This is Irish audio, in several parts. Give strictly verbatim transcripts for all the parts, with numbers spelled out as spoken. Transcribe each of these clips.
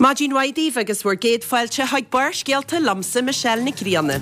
Maidin mhaith daoibh agus bhur gcéad fáilte chuig Barrscéalta liomsa Michelle Nic Grianna.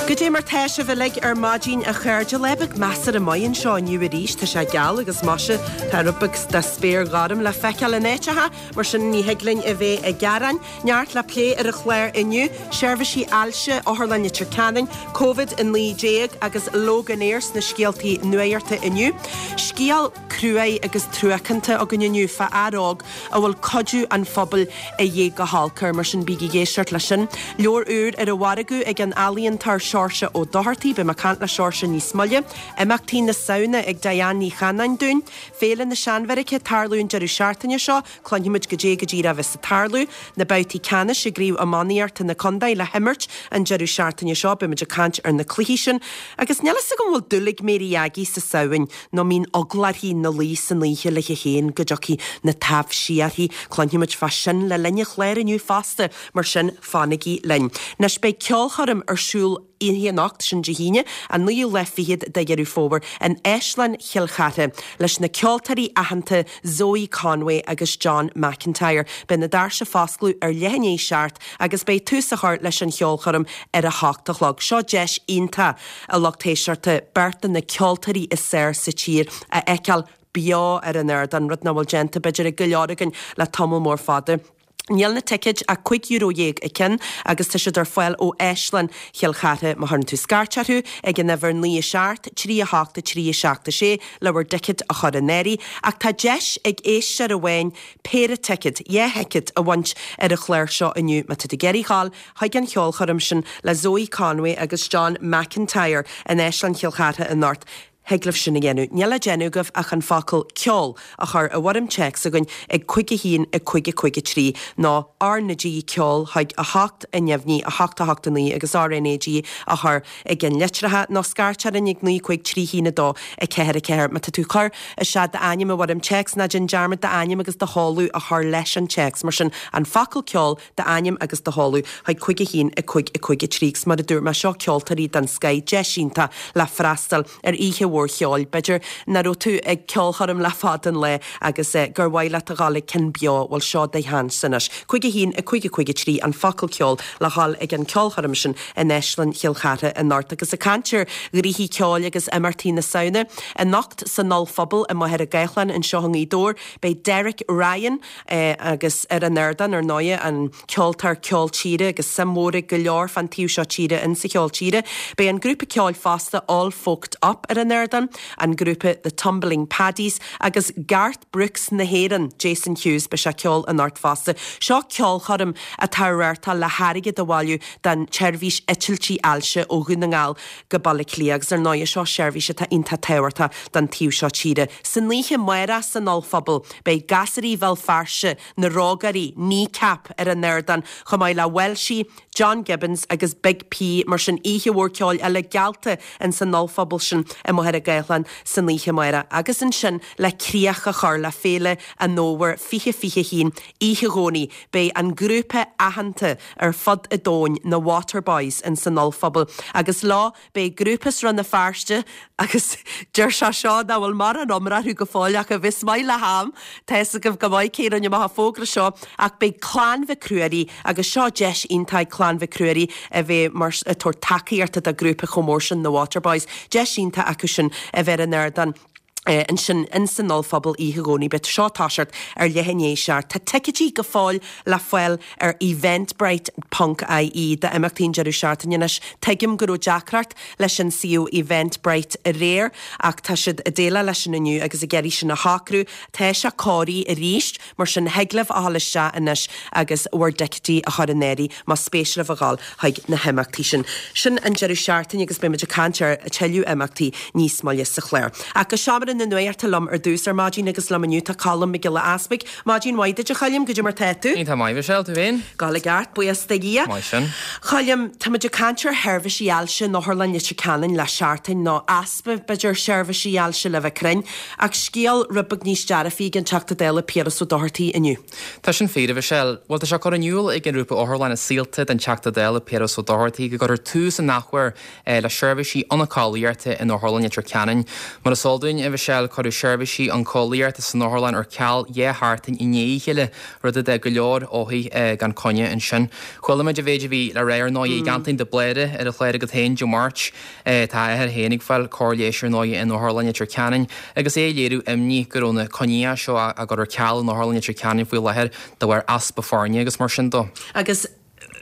Goidé mar tá sibh uilig ar maidin a chairde lá beag measartha maith anseo inniu arís tá sé geal agus maise tá rud beag de spéir ghorm le feiceáil in áiteacha mar sin ní thig linn a bheith ag gearán neart le plé ar an chlár inniu, seirbhísí ailse, Otharlann Leitir Ceanainn, Covid a naoi déag agus Loganair sna scéaltaí nuachta inniu. Scéal cruaidh agus truacánta againn inniu fá fhear óg a bhfuil cuidiú an phobail a dhíth go holc air, mar sin bígí ag éisteacht leis sin. Leabhar úr ar an mhargadh ag an ealaíontóir Seoirse Ó Dochartaigh, beidh mé ag caint le Seoirse níos moille. Imeachtaí na Samhna ag Diane Ní Chanáin dúinn. Féile na Seanbheairice ag tarlú an deireadh seachtaine seo, cluinfimid goidé go díreach a bheas ag tarlú. Na babhtaí ceannais i gCraobh Iománaíochta na Contae le himirt an deireadh seachtaine seo, beimid ag caint ar na cluichí sin. Agus níl fhios agam an bhfuil dúil ag Mary Aggie sa Samhain nó an mbíonn eagla uirthi ina luí san oíche léi féin go dtiocfaidh na taibhsí uirthi. Cluinfimid fá sin le linn an chláir inniu fosta, mar sin fanaigí linn. Anois beidh ceolchoirm ar siúl oíche anocht, sin Dé hAoine, an naoú lá fichead de Dheireadh Fómhair, in Áislann Chill Chartha, leis na ceoltóirí aitheanta Zoe Conway agus John McIntyre. Beidh na doirse foscladh ar leath i ndiaidh a seacht agus beidh tús á chur leis an cheolchoirm ar a hocht a chlog. Seo deis iontach, a lucht éisteachta, beirt de na ceoltóirí is fearr sa tír a fheiceáil beo ar an ardán, rud nach bhfuil déanta, b'fhéidir, ag go leor againn le tamall mór fada. Níl na ticéid ach cúig euro dhéag an ceann agus tá siad ar fáil ó Áislann Chill Chartha má chuireann tú scairt orthu ag an uimhir naoi a seacht, trí a hocht, a trí, a seacht a sé le bhur dticéad a chur in áirithe. Ach tá deis ag éisteoir amháin péire ticéad, dhá thicéad, a bhaint ar an chlár seo inniu má tá tú ag iarraidh dhul chuig an cheolchoirm sin le Zoe Conway agus John McIntyre in Áislann Chill Chartha anocht. Thig libh sin a dhéanamh. Níl le déanamh agaibh ach an focal 'ceol' a chur i bhfoirm téacs chugainn ag cúig a haon a cúig a cúig a trí nó R na G ceol chuig a hocht a neamhní a hocht a hocht a naoi agus R N A G a chur i gceann litreacha nó scairt orainn ag naoi cúig trí haon a dó a ceathair a ceathair. Má tá tú ag cur isteach d'ainm i bhfoirm téacs ná déan dearmad d'ainm agus do sheoladh a chur leis an téacs. Mar sin, an focal 'ceol', d'ainm agus do sheoladh chuig cúig a haon a cúig a cúig a trí agus mar a dúirt mé, seo ceoltóirí den scoith, deis iontach le freastal ar oíche mhór cheoil. B'fhéidir nach raibh tú ag ceolchoirm le fada an lá agus gur mhaith leat a dhul ag ceann beo, bhuel seo do sheans anois. Cúig a haon a cúig a cúig a trí an focal ceol le dhul ag an ceolchoirm sin in Áislann Chill Chartha anocht. Agus ag caint ar ghnoithí ceoil agus imeachtaí na Samhna, anocht san Ollphuball i Machaire Gathlán anseo i nGaoth Dobhair, beidh Derek Ryan agus ar an ardán ar ndóighe, an ceoltóir ceol tíre agus suim mhór ag go leor fán taobh seo tíre insa cheol tíre. Beidh an grúpa ceoil fosta All Folked Up ar an ardán, an grúpa The Tumbling Paddies agus Garth Brooks na hÉireann, Jason Hughes, beidh sé ag ceol anocht fosta. Seo ceolchoirm atá á reáchtáil le hairgead a bhailiú don tseirbhís eitiltí ailse ó Dhún na nGall go Baile Átha Cliath agus ar ndóighe seo seirbhís atá iontach tábhachtach don taobh seo tíre. San oíche amárach san Ollphuball beidh Gasraí Bhéal Feirste, Na Rógairí, Kneecap ar an ardán, chomh maith le Welshie, John Gibbons agus Big P, mar sin oíche mhór ceoil eile geallta ins an ollphuball sin i Machaire Gathlán san oíche amárach. Agus ansin le críoch a chur le Féile an Fhómhair fiche fiche a haon, oíche Dhomhnaigh, beidh an grúpa aitheanta ar fud an domhain, na Waterboys, ins an ollphuball agus leo beidh grúpa as Rann na Feirste agus deir sé seo nach bhfuil mórán iomrá orthu go fóill ach a bheas maith le ham, tá fhios agaibh go maith cé a rinne amach an fógra seo ach beidh Clann Mhic Ruairí agus seo deis iontach ag Clann Mhic Ruairí a bheith mar ag tabhairt tacaíochta do ghrúpa chomh mór sin na Waterboys, deis iontach acu sin a bheith ar an ardán ansin ins an ollphuball oíche Dhomhnaigh. Beidh seo ag toiseacht ar leath i ndiaidh a seacht. Tá ticéidí go fóill le fáil ar eventbrite ponc ie d'imeachtaí an deireadh seachtaine anois. Tuigim go raibh deacracht leis an suíomh Eventbrite aréir ach tá siad ag déileáil leis sin inniu agus ag iarraidh sin a shocrú. Tá sé cóirithe arís, mar sin thig libh a dhul isteach anois agus bhur dticéidí a chur in áirithe más spéis libh a dhul chuig na himeachtaí sin. Sin an deireadh seachtaine agus beidh muid ag caint ar tuilleadh imeachtaí níos moille sa chlár. Ach go seomra Seomra na Nuachta liom ar dtús ar maidin agus liom inniu tá Colm Mac Giolla Easpaig. Maidin mhaith duit a Choilm, goidé mar tá tú? Tá maith Michelle, tú féin? Gabháil i gceart, buíochas do Dhia. Maith sin. Choilm, táimid ag caint ar sheirbhísí ailse in Otharlann Leitir Ceanainn le seachtain nó easpa b'fhéidir seirbhísí ailse le bheith cruinn, ach scéal rud beag níos dearfaí ag an Teachta Dála Piaras Ó Dochartaigh inniu. Tá sin fíor, a Mhichelle. Bhuel tá sé curtha in iúl ag an ngrúpa Otharlann is Saolta don Teachta Dála Piaras Ó Dochartaigh go gcuirfear tús an athuair le seirbhísí oncólaíochta in Otharlann Leitir Ceanainn. Mar is eol dúinn a Mhichelle cuireadh seirbhísí oncólaíochta san otharlann ar ceal dhá sheachtain i ndiaidh a chéile, rud a d'fhág go leor othair gan coinne ansin. Chuala muid an mhéid a bhí le rá ar ndóigh ag Antoin de Bléire ar an chlár agat féin Dé Máirt. Tá a athair féin ag fáil cóir leighis ar ndóigh in Otharlann Leitir Ceanainn agus é ag léiriú imní go raibh na coinní seo á gcur ar ceal in Otharlann Leitir Ceanainn faoi láthair de bharr easpa foirne agus mar sin dó. Agus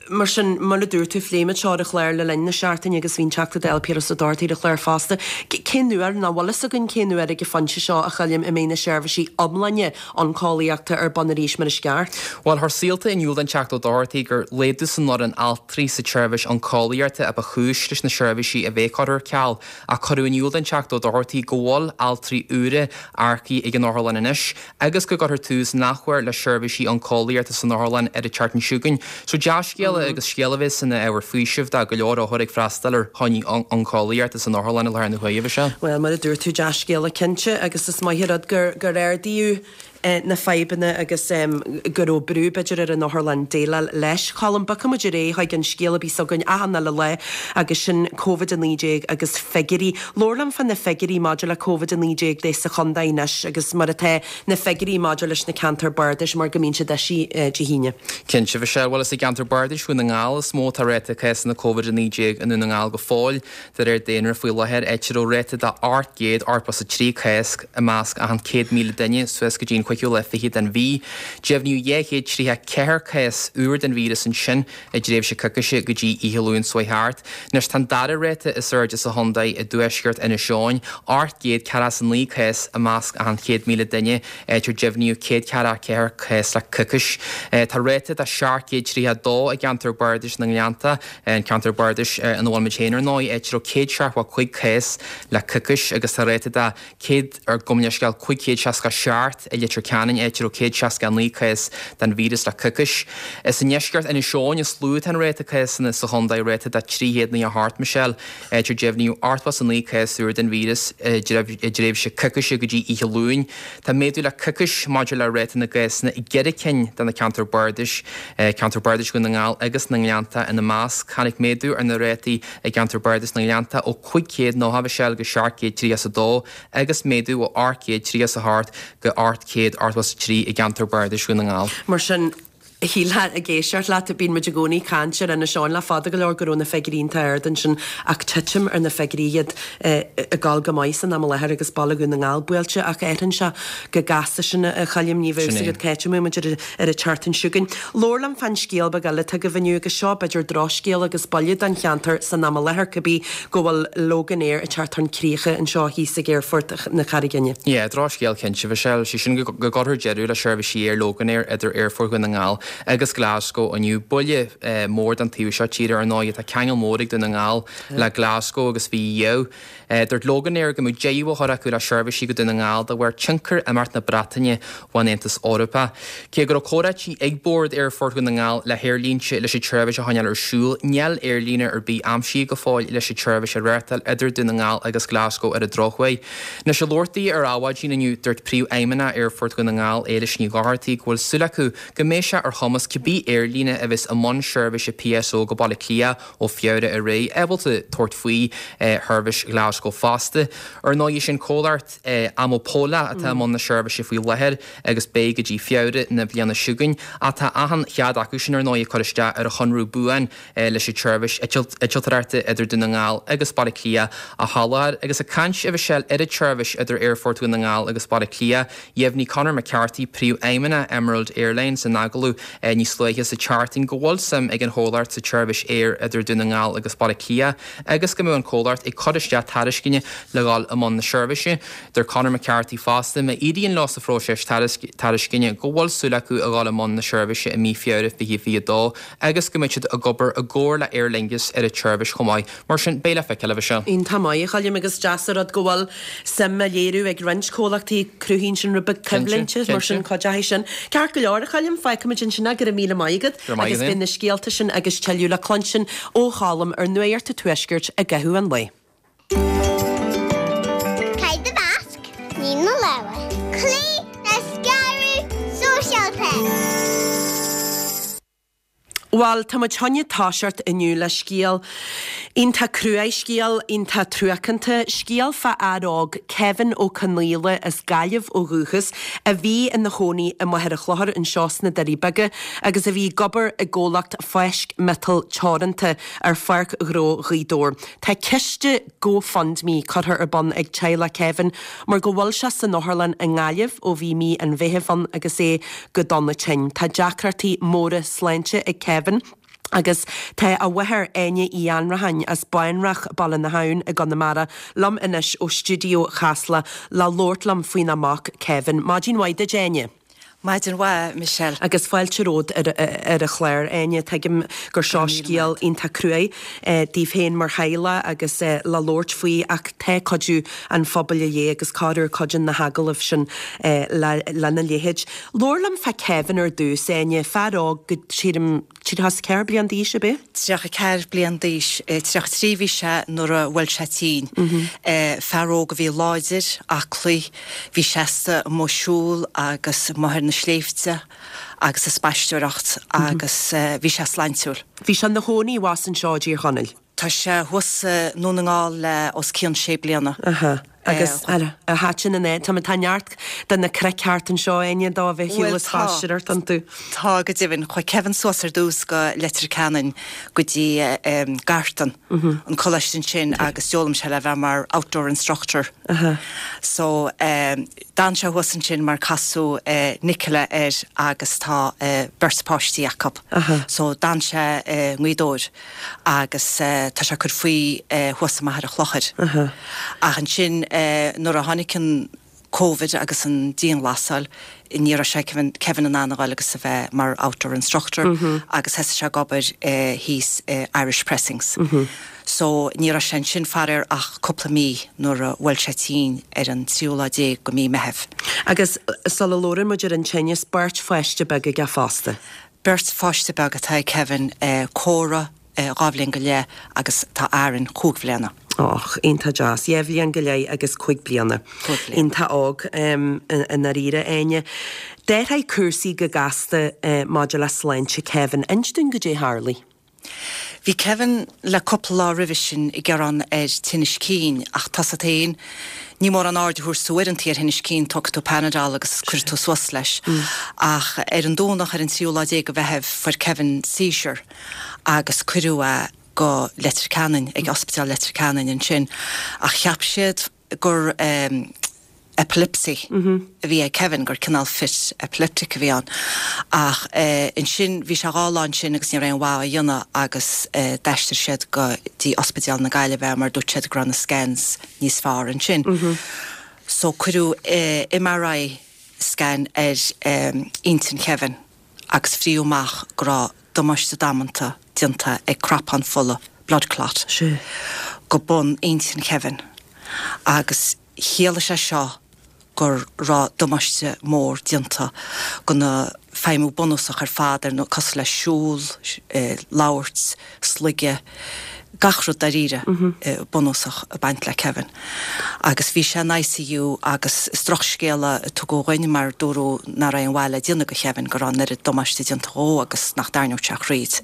mar sin mar a dúirt tú phléigh muid seo ar an chlár le linn na seachtaine agus bhí an Teachta Dála Piaras Ó Dochartaigh ar an chlár fosta. Cén uair nach bhfuil fhios againn cén uair ag an phointe seo a Choilm a mbeidh na seirbhísí iomláine oncólaíochta ar bun arís mar is ceart? Bhuel chuir Saolta in iúl don Teachta Ó Dochartaigh gur laghdú san fhoireann altraí sa tseirbhís oncólaíochta a ba chúis leis na seirbhísí a bheith curtha ar ceal ach cuireadh in iúl don Teachta Ó Dochartaigh go bhfuil altraí úra earcaithe ag an otharlann anois agus go gcuirfear tús an athuair le seirbhísí oncólaíochta san otharlann ar an tseachtain seo chugainn. So dea-scéala agus scéal a bheas ina ábhar faoisimh do go leor othar ag freastal ar choinní oncólaíochta san otharlann i láthair na huaire seo. Well mar a dúirt tú dea-scéala cinnte agus is maith an rud gur gur ardaíodh na fadhbanna agus go raibh brú b'fhéidir ar an otharlann déileáil leis. Colm bogfaidh muid ar aghaidh chuig an scéal a bhí againn achan uile lá agus sin Covid a naoi déag agus figiúirí. Labhair liom fá na figiúirí maidir le Covid a naoi déag de sa chontae anois agus mar atá na figiúirí maidir leis na ceantair bardais mar go mbíonn siad eisithe Dé hAoine. Cinnte Michelle bhuel is i gceantar bardais Dhún na nGall is mó atá ráta cásanna Covid a naoi déag i nDún na nGall go fóill de réir daonra faoi láthair áit a raibh ráta de ocht gcéad ochtó is a trí cás i measc achan céad míle duine suas go dtí an cúigiú lá fiche den mhí. Deimhníodh dhá chéad tríocha ceathair cás úr den víreas ansin i dtréimhse coicíse go dtí oíche Luain seo thart. Anois tá an dara ráta is airde sa chontae i dtuaisceart Inis Eoghain, ocht gcéad ceathracha is a naoi cás i measc achan céad míle duine áit ar deimhníodh céad ceathracha ceathair cás le coicís. Tá ráta de seacht gcéad tríocha dó i gceantar bardais na nGleannta, an ceantar bardais ina bhfuil muid féin ar ndóigh, áit a raibh céad seachtó cúig cás le coicís agus tá ráta de céad ar gabh mo leithscéal cúig chéad seasca seacht i Leitir Ceanainn áit a raibh céad seasca naoi cás den víreas le coicís. Is i ndeisceart Inis Eoghain is lú atá an ráta cásanna sa chontae ráta de trí chéad nócha hocht Michelle áit ar deimhníodh ochtó is a naoi cás úr den víreas i dtréimhse coicíse go dtí oíche Luain. Tá méadú le coicís maidir le ráta na gcásanna i gceithre cinn de na ceantair bardais, ceantar bardais Dhún na nGall agus na nGleannta ina measc. Tháinig méadú ar na rátaí i gceantar bardais na nGleannta ó cúig chéad nócha Michelle go seacht gcéad tríocha is a dó agus méadú ó ocht gcéad tríocha is a hocht go ocht gcéad ochtó is a trí i gceantar bardais Dhún na nGall. Mar sin shílfeá ag éisteacht leat bíonn muid i gcónaí ag caint ar Inis Eoghain le fada go leor go raibh na figiúirí iontach ard ansin ach titim ar na figiúirí iad ag gabháil go maith san am i láthair agus baile Dhún na nGall buailte ach athraíonn sé go gasta sin a Choilm ní bheadh fhios agat cá háit a mbeidh muid ar ar an tseachtain seo chugainn. Labhair liom fán scéal beag eile atá agaibh inniu agus seo b'fhéidir drochscéal agus buille don cheantar san am i láthair cibé go bhfuil Loganair ag teacht chun críche anseo thíos ag Aerfort na Carraige Fhinne. Yeah, drochscéal cinnte Michelle, sé sin go gcuirfear deireadh le seirbhísí aeir Loganair idir Aerfort Dhún na nGall agus Glasgow inniu buille mór don taobh seo tíre ar ndóigh tá ceangal mór ag Dún na nGall le Glasgow agus bhí dhíobh. Dúirt Loganair go mbeadh deireadh á chur acu le seirbhísí go Dún na nGall de bharr tionchar imeacht na Breataine ón Aontas Eorpach. Cé go raibh comhráití ag bord Aerfort Dhún na nGall le haerlínte leis an tseirbhís a choinneáil ar siúl, níl aerlíne ar bith aimsithe go fóill leis an tseirbhís a reáchtáil idir Dún na nGall agus Glasgow ar an drochuair. Anois ag labhairt di ar Adhmhaidin inniu dúirt Príomhfheidhmeannach Aerfort Dhún na nGall Éilis Ní Dhochartaigh go bhfuil súil acu go mbeidh sé ar chumas cibé aerlíne a bheas i mbun seirbhíse PSO go Baile Átha Cliath ó Feabhra ar aghaidh ábalta tabhairt faoi sheirbhís Glasgow fosta. Ar ndóigh sin comhlacht Amopola atá i mbun na seirbhíse faoi láthair agus beidh go dtí Feabhra na bliana seo chugainn ach tá achan chead acu sin ar ndóigh ag cur isteach ar a chonradh buan leis an tseirbhís eitilt idir Dún na nGall agus Baile Átha Cliath a sholáthar agus ag caint a Mhichelle ar an tseirbhís idir Aerfort Dhún na nGall agus Baile Átha Cliath, dheimhnigh Conor McCarthy príomhfheidhmeannach Emerald Airlines in agallamh níos luaithe sa tseachtain go bhfuil suim ag an chomhlacht sa tseirbhís aeir idir Dún na nGall agus Baile Átha Cliath agus go mbeidh an comhlacht ag cur isteach tairisceana le dhul i mbun na seirbhíse. Deir Conor McCarthy fosta má éiríonn leo sa phróiseas tairisceana go bhfuil súil acu a dhul i mbun na seirbhíse i mí Feabhra fiche fiche dó agus go mbeidh siad ag obair i gcomhar le Aer Lingus ar an tseirbhís chomh maith. Mar sin beidh le feiceáil a bheith seo. Iontach maith a Choilm agus deas an rud go bhfuil suim á léiriú ag roinnt comhlachtaí cruthaíonn sin rud beag coimhlinte mar sin cuideoidh sin. Ceart go leor a Choilm, fágfaimid ansin é, go raibh míle maith agat agus beidh na scéalta sin agus tuilleadh le cluinstin ó Cholm ar Nuacht an Tuaiscirt i gcaitheamh an lae. Caith do mhasc, nigh do lámha. Cloígh le scaradh sóisialta. Bhuel, tá muid chun toiseacht inniu le scéal iontach cruaidh, scéal iontach truacánta, scéal fá fhear óg, Kevin Ó Conaola as Gaillimh ó dhúchas, a bhí ina chónaí i Machaire Chlochair anseo sna Doirí Beaga agus a bhí ag obair i gcomhlacht Fáisc Miotal Teoranta ar Pháirc Ghnó Ghaoth Dobhair. Tá ciste GoFundMe curtha ar bun ag teaghlach Kevin mar go bhfuil sé san otharlann i nGaillimh ó bhí mí an Mheithimh ann agus é go dona tinn. Tá deacrachtaí móra sláinte ag Kevin agus tá a mháthair Áine Uí Annracháin as Bánrach, Baile na hAbhann i gConamara liom anois ó stiúideo Chasla le labhairt liom faoina mac Kevin. Maidin mhaith duit Áine. Maidin mhaith, Michelle. Agus fáilte romhat ar ar an chlár, Áine. Tuigim gur seo scéal iontach cruaidh daoibh féin mar theaghlach agus le labhairt faoi ach tá cuidiú an phobail a dhíth agus corruair cuidíonn na hagallaimh sin lena leithéid. Labhair liom fá Kevin ar dtús, Áine, fear óg go sílim tríocha is ceathair bliain d'aois, ab é? Tríocha ceathair bliain d'aois, tríocha trí bhí sé nuair a bhuail sé tinn. Fear óg a bhí láidir, aclaí, bhí seasta amuigh ag siúl agus amuigh ar na sléibhte agus ag spaisteoireacht agus bhí sé sláintiúil. Bhí sé ina chónaí abhus anseo i dTír Chonaill. Tá sé thuas i nDún na nGall le os cionn sé bliana. Aha. Agus ar thaitin an áit? Tá neart de na cnoic thart anseo, Áine, dó a bheith ag siúl is spaisteoireacht iontu. Tá, go deimhin. Chuaigh Kevin suas ar dtús go Leitir Ceanainn go dtí Gartan, an coláiste ansin agus d'fhoghlaim sé le bheith mar outdoor instructor. So d'fhan sé thuas ansin mar casadh Nicola air agus tá beirt páistí acu. So d'fhan sé i nGaoth Dobhair agus tá sé ag cur faoi thuas i Machaire Chlochair. Ach ansin nuair a tháinig an Covid agus an dianghlasáil, ní raibh sé Kevin in ann a ghoil agus a bheith mar outdoor instructor agus thosaigh sé ag obair thíos i Irish Pressings. So ní raibh sé ansin faraor ach cúpla mí nuair a bhuail sé tinn ar an tríú lá déag go mí Meitheamh. Agus sula labhrann muid ar an tinneas, beirt pháiste beag aige fosta. Beirt pháiste beag atá ag Kevin, Córa dhá bhliain go leith agus tá Aaron cúig bhliana. Och, iontach deas. Dhá bhliain go leith agus cúig bliana. Cúig bliana. Iontach óg i ndáiríre, Áine. D'athraigh cúrsaí go gasta maidir le sláinte Kevin. Inis dúinn goidé a tharlaigh. Bhí Kevin le cúpla lá roimhe sin ag gearán ar tinnis cinn ach tá a fhios agat féin, ní mórán aird a thabharfas tú uaireanta ar thinnis cinn, tógfaidh tú Panadol agus cuirfidh tú suas leis. Ach ar an Domhnach ar an tríú lá déag de Mheitheamh fuair Kevin seizure agus cuireadh é go Leitir Ceanainn, ag Ospidéal Leitir Ceanainn ansin. Ach cheap siad gur epilepsy a bhí ag Kevin, gur cineál fit epileptic a bhí ann. Ach ansin bhí sé dhá lá ansin agus ní raibh aon mhaith á dhéanamh agus d'aistrigh siad go dtí Ospidéal na Gaillimhe mar dúirt siad go raibh na scans níos fearr ansin. So cuireadh MRI scan ar intinn Kevin agus fríodh amach go raibh damáiste damanta déanta ag cnapán fola, blood clot, go bun intinn Kevin agus chiallaigh sé seo go raibh damáiste mór déanta go na feidhmiú bunúsach ar fad ar nós cosúil le siúl, labhairt, sloigeadh, gach rud dáiríre bunúsach ag baint le Kevin. Agus bhí sé in ICU agus is drochscéala a tugadh dhúinn mar dúradh nach raibh aon mhaith le déanamh go Kevin, go raibh an oiread damáiste déanta dhó agus nach dtarraingeodh sé thríd.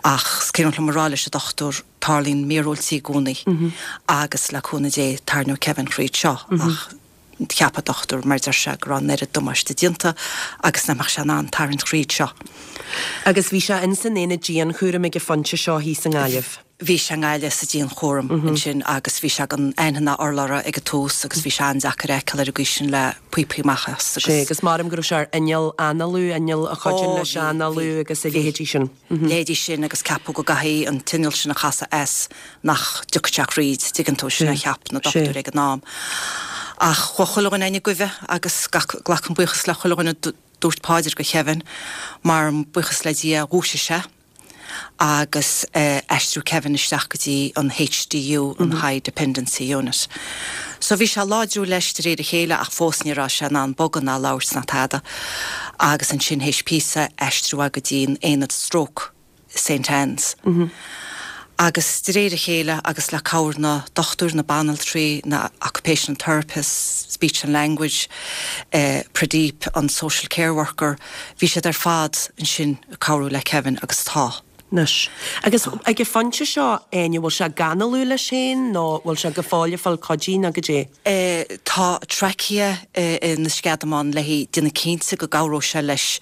Ach is cuimhin liom a rá leis an dochtúir, tarlaíonn míorúiltí i gcónaí agus le cúnamh Dé tarraingeoidh Kevin thríd seo ach cheap an dochtúir mar deir sé go raibh an oiread damáiste déanta agus nach mbeadh sé in ann tarraingt thríd seo. Agus bhí sé ins an aonad dianchúraim ag an phointe seo thíos i nGaillimh. Bhí sé i nGaillimh sa dianchúram ansin agus bhí sé gan aon urlabhra ag an tús agus bhí sé an-deacair a fheiceáil ar an gcaoi sin le píopaí amach as agus. Sea, agus maram go raibh sé ar inneall análú, inneall a chuidíonn leis análú agus a leithéidí sin. Leithéidí sin agus ceapadh go gcaithfidh an t-inneall sin a chasadh as nach dtiocfadh sé thríd, tuigeann tú, sin a cheap na dochtúirí ag an am. Ach chuaigh chuile dhuine againn chuige agus glacaim buíochas le chuile dhuine a dúirt paidir do Kevin mar buíochas le Dia dhúisigh sé. agus aistriú Kevin isteach go dtí an HDU, an High Dependency Unit. So bhí sé ag láidriú leis de réir a chéile ach fós ní raibh sé in ann bogadh ná labhairt ná tada. Agus ansin théis píosa aistriú é go dtí an aonad stroke i Saint Anne's. Agus de réir a chéile agus le cabhair na dochtúir, na banaltraí, na occupational therapists, speech and language, Pradeep, an social care worker, bhí siad ar fad ansin ag cabhrú le Kevin agus tá. Anois. Agus ag an phointe seo, Áine, bhfuil sé ag análú leis féin nó bhfuil sé go fóill ag fáil cuidí nó goidé? Tá trachea ina sceadamán le déanamh cinnte go gcabhróidh sé leis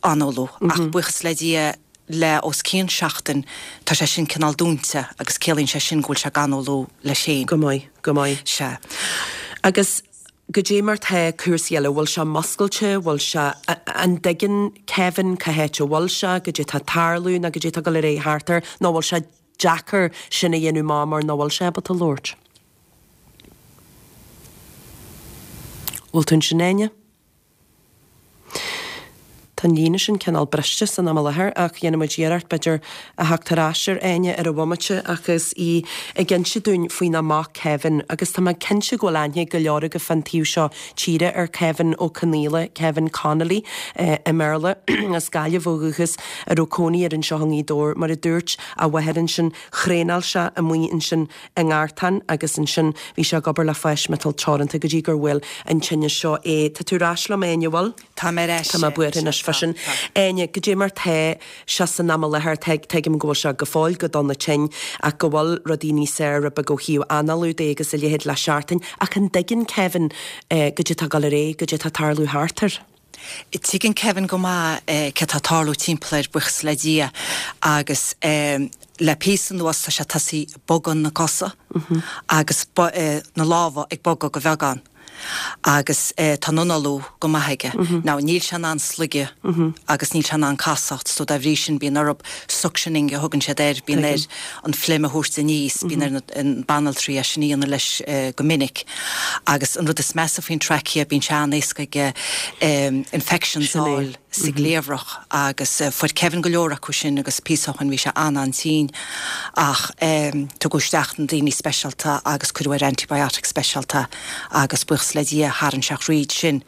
análú ach buíochas le Dia le os cionn seachtain tá sé sin cineál dúnta agus ciallaíonn sé sin go bhfuil sé ag análú leis féin. Go maith, go maith. Sea. Agus goidé mar tá cúrsaí eile, bhfuil sé muscailte, bhfuil sé, an dtuigeann Kevin cá háit a bhfuil sé, goidé tá ag tarlú nó goidé tá ag dul ar aghaidh thart air nó bhfuil sé deacair sin a dhéanamh amach mar nach bhfuil sé ábalta labhairt? Bhfuil tú ansin Áine? Tá an líne sin cineál briste san am i láthair ach dhéanfaidh muid iarracht b'fhéidir a theacht ar ais ar Áine ar an bhomaite agus í ag inse dúinn faoina mac Kevin agus tá mé cinnte go bhfuil aithne ag go leor agaibh fán taobh seo tíre ar Kevin Ó Conaola, Kevin Connolly i mBéarla, as Gaillimh ó dhúchas a raibh cónaí air anseo i nGaoth Dobhair. Mar a dúirt a mháthair ansin, thraenáil sé amuigh ansin i nGartán agus ansin bhí sé ag obair le Fáis Miotal Teoranta go dtí gur bhuail an tinneas seo é. Tá tú ar ais liom, Áine, bhfuil? Tá mé ar ais. Tá mé buartha anois fá sin. Áine, goidé mar tá sé san am i láthair, tuigim go bhfuil sé go fóill go dona tinn ach go bhfuil rudaí níos fearr rud beag ó thaobh análú de agus a leithéid le seachtain, ach an dtuigeann Kevin goidé tá ag dul ar aghaidh, goidé tá ag tarlú thart air? Tuigeann Kevin go maith cé tá ag tarlú timpeall air, buíochas le Dia, agus le píosa anuas tá sé tosaithe ag bogadh na cosa agus na lámha ag bogadh go bheagán. Agus tá an análú go maith aige. Now níl sé in ann sloigeadh agus níl sé in ann casacht so dá bhrí sin bíonn orthu suctioning a thugann siad air, bíonn air an phluim a thabhairt aníos, bíonn ar an banaltraí é sin a dhéanamh leis go minic. Agus an rud is measa faoin trachea bíonn sé an-éasca aige infections a fháil sa gcliabhrach agus fuair Kevin go leor acu sin agus píosa ó shin bhí sé an-an-tinn ach tugadh isteach na daoine speisialta agus cuireadh ar antibiotics speisialta agus buíochas le Dia tharraing sé thríd sin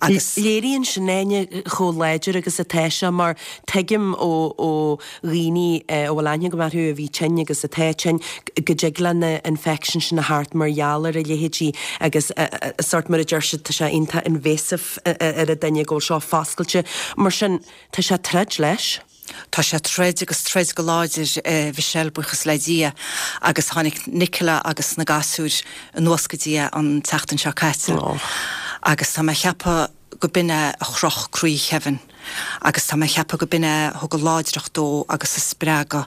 agus. Léiríonn sin Áine chomh láidir agus atá sé mar tuigim ó ó dhaoine a bhfuil aithne agam orthu a bhí tinn agus atá tinn go dtig le na infections sin a theacht mar gheall ar a leithéidí agus sórt mar a deir siad tá sé iontach invasive ar an duine go bhfuil seo foscailte. Mar sin tá sé ag troid leis. Tá sé ag troid agus troid go láidir, a Mhichelle, buíochas le Dia, agus tháinig Nicola agus na gasúir anuas go dtí é an tseachtain seo caite agus tá mé a cheapadh go b'in é a chroch croí Kevin agus tá mé a cheapadh go b'in é a thug an láidreacht dó agus an spreagadh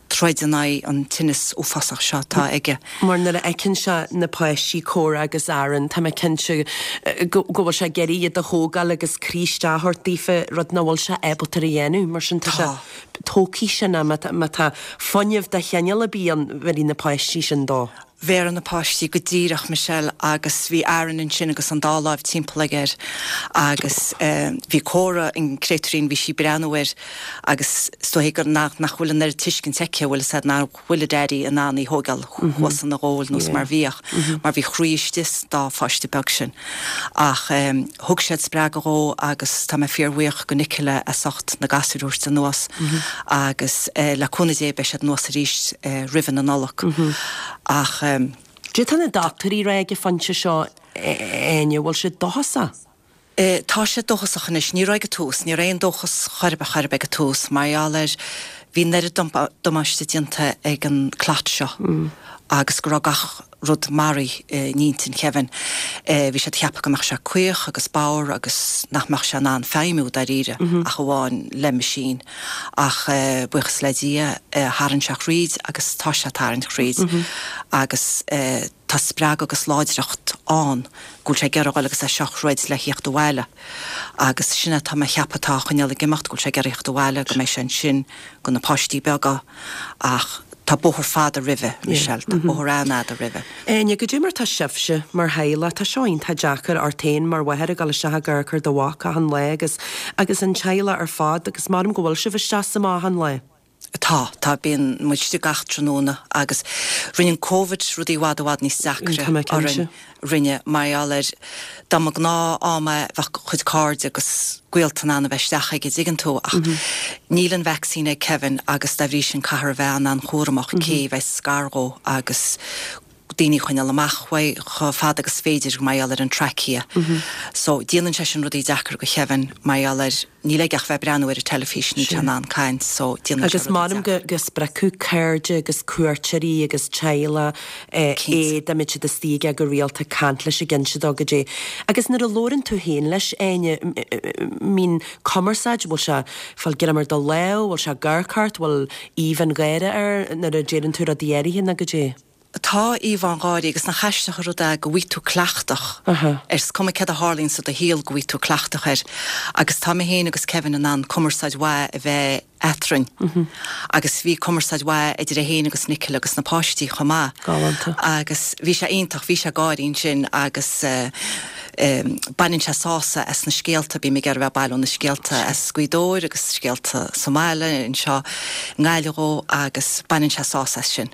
troid in aghaidh an tinneas uafásach seo atá aige. Mar nuair a fheiceann sé na páistí, Cora agus Aaron, tá mé cinnte go bhfuil sé ag iarraidh iad a thógáil agus croí isteach a thabhairt daofa, rud nach bhfuil sé ábalta a dhéanamh. Mar sin tá sé, tógfaidh sin é, má tá fuinneamh de chineál ar bith ann, bhéarfaidh na páistí sin dó. Bhéarfaidh na páistí go díreach, Michelle, agus bhí Aaron ansin agus an dá láimh timpeall aige air agus bhí Cora, an créatúirín, bhí sí ag breathnú air agus is dóichí gur nach nach bhfuil an oiread tuiscint aici, bhfuil fhios a'd, nach bhfuil a daddy in ann í thógáil thuas ina ghoal nós mar bhíodh, mar bhí a chroí istigh sa dá pháiste beag sin. Ach thug siad spreagadh dhó agus tá mé fíorbhuíoch go Nicola as ucht na gasúir a thabhairt anuas agus le cúnamh Dé beidh siad anuas arís roimhe na Nollag. Ach. Cad é tá na dochtúirí ag rá ag an phointe seo, Áine, bhfuil siad dóchasach? Tá siad dóchasach anois. Ní raibh ag an tús. Ní raibh aon dóchas chor ar bith chor ar bith ag an tús mar gheall ar bhí an oiread damáiste déanta ag an clot seo agus go raibh gach rud maraithe in intinn Kevin. Bhí siad ag ceapadh go mbeadh sé caoch agus bodhar agus nach mbeadh sé in ann feidhmiú dáiríre ach amháin le machine. Ach buíochas le Dia tharraing sé thríd agus tá sé ag tarraingt thríd agus tá spreagadh agus láidreacht ann go bhfuil sé ag iarraidh dhul agus é seo a throid le thíocht abhaile. Agus sin é tá mé a cheapadh atá á choinneáil ag imeacht, go bhfuil sé ag iarraidh thíocht abhaile, go mbeidh sé ansin go na páistí beaga ach tá bóthar fada roimhe, Michelle, tá bóthar an-fhada roimhe. Áine, goidé mar tá sibhse mar theaghlach, tá seo iontach deacair ort féin mar mháthair ag dul isteach ag amharc ar do mhac achan lá agus agus an teaghlach ar fad agus maram go bhfuil sibh isteach is amach achan lá. Tá, tá, bíonn muid istigh gach tráthnóna agus rinne an Covid rudaí i bhfad i bhfad níos deacra orainn, rinne, mar gheall ar dá mba gnáth am é bheadh a chuid cairde agus gaolta in ann a bheith isteach aige, dtuigeann tú, ach níl an vacsaín ag Kevin agus dá bhrí sin caithfear a bheith an-an-chúramach cé a bheas gar dhó agus daoine a choinneáil amach uaidh chomh fada agus is féidir mar gheall ar an trachea. So, déanann sé sin rudaí deacair go Kevin mar gheall ar, níl aige ach bheith ag breathnú ar an teilifís, níl sé in ann caint, so déanann sé Agus rudaí m'anam deacair. go go spreagfadh cairde agus cuairteoirí agus teaghlach é Cinnte. dá mbeadh siad istigh aige go rialta caint leis ag inse dó goidé. Agus nuair a labhrann tú féin leis, Áine, mbíonn cumarsáid, bhfuil sé fáil greim ar do lámh, bhfuil sé ag amharc ort, bhfuil aoibh an gháire air nuair a deireann tú rudaí áirithe nó goidé? Tá aoibh an gháire agus nach aisteach an rud é go bhfaighidh tú cleachtach air, is cuma céard a tharlaíonn sa do shaol go bhfaighidh tú cleachtach air. Agus tá mé féin agus Kevin in ann cumarsáid mhaith a bheith eadrainn. Agus bhí cumarsáid mhaith idir é féin agus Nicola agus na páistí chomh maith. Galánta. Agus bhí sé iontach, bhí sé ag gáirí ansin agus eh, Baineann sé sásamh as na scéalta, bím ag iarraidh a bheith ag bailiú na scéalta as Gaoth Dobhair agus scéalta sa mbaile anseo i nGaillimh dhó agus baineann sé sásamh as sin.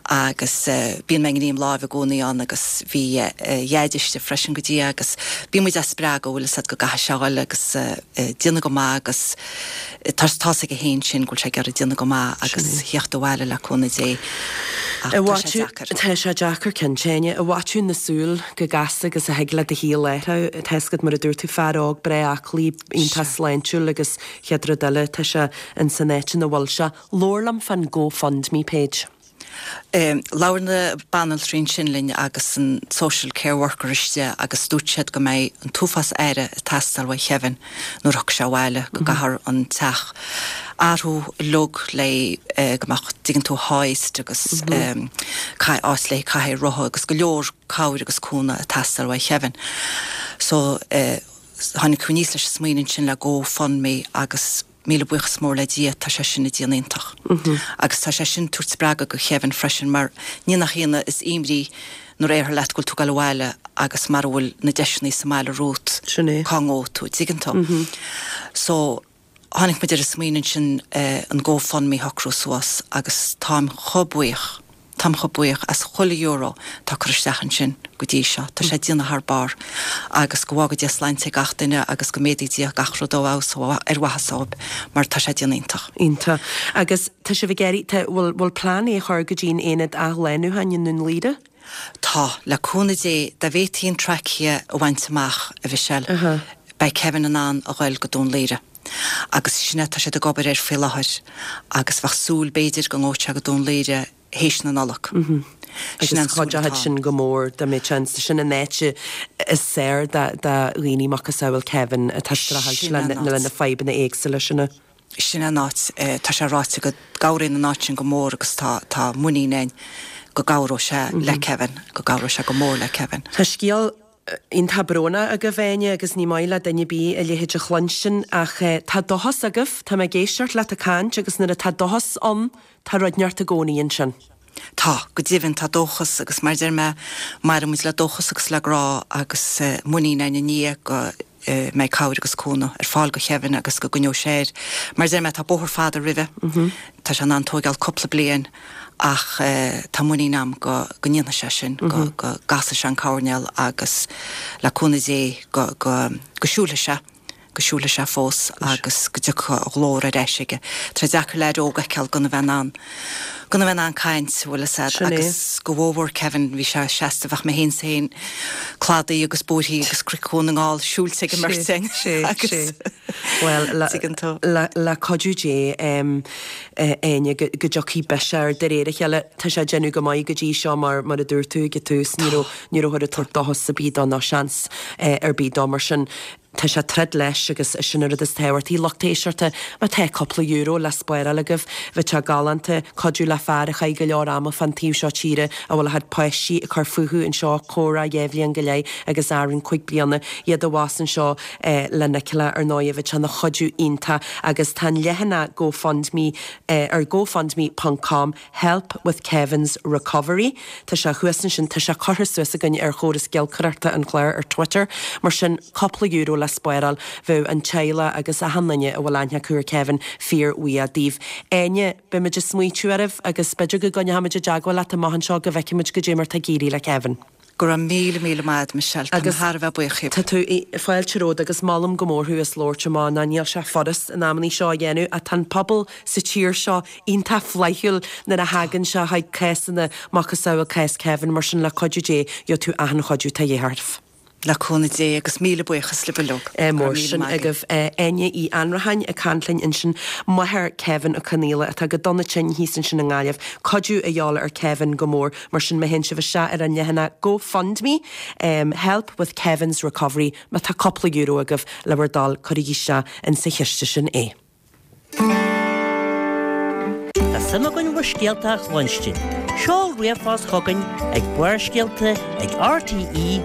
Agus bíonn mé i ngreim láimhe i gcónaí ann agus bhí a Dhaid istigh freisin go dtí agus bíonn muid á spreagadh bhfuil fhios a'd go gcaithfidh sé a dhul agus déanamh go maith agus tá tá's aige féin sin go bhfuil sé ag iarraidh déanamh go maith agus theacht abhaile le cúnamh Dé ach tá sé deacair. Tá sé deacair cinnte, Áine. I bhfaiteadh na súl chomh gasta agus a thig le do shaol athrú. Tá fhios agat mar a dúirt tú, fear óg breá aclaí, iontach sláintiúil agus chéad rud eile tá sé in san áit ina bhfuil sé. Labhair liom fán GoFundMe page. Labhair na banaltraí ansin linn agus an social care worker istigh agus dúirt siad go mbeidh an t-uafás aire ag teastáil uaidh Kevin nuair a thiocfaidh sé abhaile, go gcaithfear an teach a athrú uilig le go mbeadh, dtuigeann tú, hoist agus áit le cathaoir rotha agus go leor cabhair agus cúnamh ag teastáil uaidh Kevin. So tháinig tú aníos leis an smaoineamh ansin le GoFundMe agus Míle buíochas mór le Dia, tá sé sin ag déanamh iontach. Agus tá sé sin ag tabhairt spreagadh go Kevin freisin mar ní nach ionadh is imní nuair a déarfar leat go bhfuil tú ag dul abhaile agus mara bhfuil na deiseanna sa mbaile romhat, Sin é. cá ngabhfaidh tú, dtuigeann tú? So, tháinig muid ar an smaoineamh ansin an GoFundMe a shocrú suas agus táim chomh buíoch. Táim chomh buíoch as chuile euro atá curtha isteach ansin go dtí seo. Tá sé ag déanamh thar barr agus go bhfága Dia sláinte ag gach duine agus go méadaí Dia gach rud ó fheabhas ar mhaitheas dóibh mar tá sé ag déanamh iontach. Iontach. Agus tá sibh ag iarraidh, tá, bhfuil, bhfuil plean é a chur go dtí an aonad athshlánúcháin i nDún Laoghaire? Tá. Le cúnamh Dé, dá bhféadfaí an trachea a bhaint amach, a Mhichelle, beidh Kevin in ann a ghoil go Dún Laoghaire. Agus sin é, tá siad ag obair air faoi láthair agus bheadh súil b'fhéidir go ngabhfadh sé go Dún Laoghaire théis na Nollag. Sin an chuideoidh sin go mór dá mbeadh seans. Sin an áit is saoire do dhaoine macasamhail Kevin atá ag streachailt le na fadhbanna éagsúla sin. Sin an áit. Tá sé ráite go gcabhraíonn an áit sin go mór agus tá tá muinín againn go gcabhróidh sé le Kevin, go gcabhróidh sé go mór le Kevin. Tá scéal iontach brónach agaibh, Áine, agus ní maith le duine ar bith a leithéid a chluinstin, ach tá dóchas agaibh, tá mé ag éisteacht leat ag caint agus nuair atá dóchas ann, tá rud inteacht i gcónaí ansin. Tá, go deimhin, tá dóchas agus mar a deir mé, maireann muid le dóchas agus le grá agus muinín againn i nDia go mbeidh cabhair agus cúnamh ar fáil go Kevin agus go gcoinneoidh sé air. Mar a deir mé, tá bóthar fada roimhe, tá sé in ann tóigeáil cúpla bliain ach tá muinín agam go go ndéanfaidh sé sin, go go gcasfaidh sé an coirnéal agus le cúnamh Dé go go go siúlfaidh sé, go siúlfaidh sé fós agus go dtiocfaidh a ghlór ar ais aige. Tá sé deacair leaid óg a fheiceáil gan a bheith in ann, Gan a bheith in ann caint, bhfuil fhios a'd, Sin é. agus go mhór Kevin, bhí sé seasta, bheadh mé féin 's féin cladaí agus bóithrí agus Cnoic Dhún na nGall siúilte ag an mbeirt againn. Sé, Agus sé. Well, le, Tuigeann tú. le, le cuidiú Dé um, eh, Áine go, go dtiocfaidh biseach air de réir a chéile tá sé déanamh go maith go dtí seo mar mar a dúirt tú ag an tús ní raibh ní raibh ag tabhairt dóchas ar bith dó ná seans eh, ar bith dó mar sin tá sé troid leis agus sin an rud is tábhachtaí lucht éisteachta má tá cúpla euro le spáráil agaibh bheadh sé galánta cuidiú le fear a chaith go leor ama fan taobh seo tíre a bhfuil a chuid páistí ag cur fúthu anseo chomh dhá bhliain go leith agus Aaron cúig bliana iad a bhás anseo eh, le Nicola ar ndóigh bheadh sé ina chuidiú iontach agus tá an leathanach GoFundMe eh, ar gofundme.com help with Kevin's recovery. Tá sé thuas ansin tá sé curtha suas againn ar chóras giolcaireachta an chláir ar Twitter, mar sin cúpla euro le spáráil bheadh an teaghlach agus achan duine a bhfuil aithne acu ar Kevin fíorbhuíoch díobh. Áine beimid ag smaointiú oraibh agus b'fhéidir go gcoinneoimid i dteagmháil leat amach anseo go bhfeicfimid goidé mar tá ag éirí le Kevin. Go raibh míle míle maith Michelle Tá Agus thar a bheith buíoch. Tá tú fáilte romhat agus molaim go mór thú as labhairt amach ná níl sé furast in amannaí seo a dhéanamh ach tá an pobal sa tír seo iontach flaithiúil nuair a thagann sé chuig cásanna macasamhail cás Kevin mar sin le cuidiú Dé gheobhaidh tú achan chuidiú tá de dhíth ort. Le cúnamh Dé agus míle buíochas libh uilig. Eh, mór sin agaibh Áine Uí Annracháin ag caint linn ansin máthair Kevin Ó Conaola atá go dona tinn thíos ansin i nGaillimh, cuidiú a dhíobháil ar Kevin go mór mar sin má théann sibh isteach ar an leathanach GoFundMe um, help with Kevin's recovery má tá cúpla euro agaibh le bhur dtoil cuirigí isteach in sa chiste sin é. Tá suim againn bhur scéalta a chluinstin. Seol ríomhphost chugainn ag Barrscéalta ag rte.ie.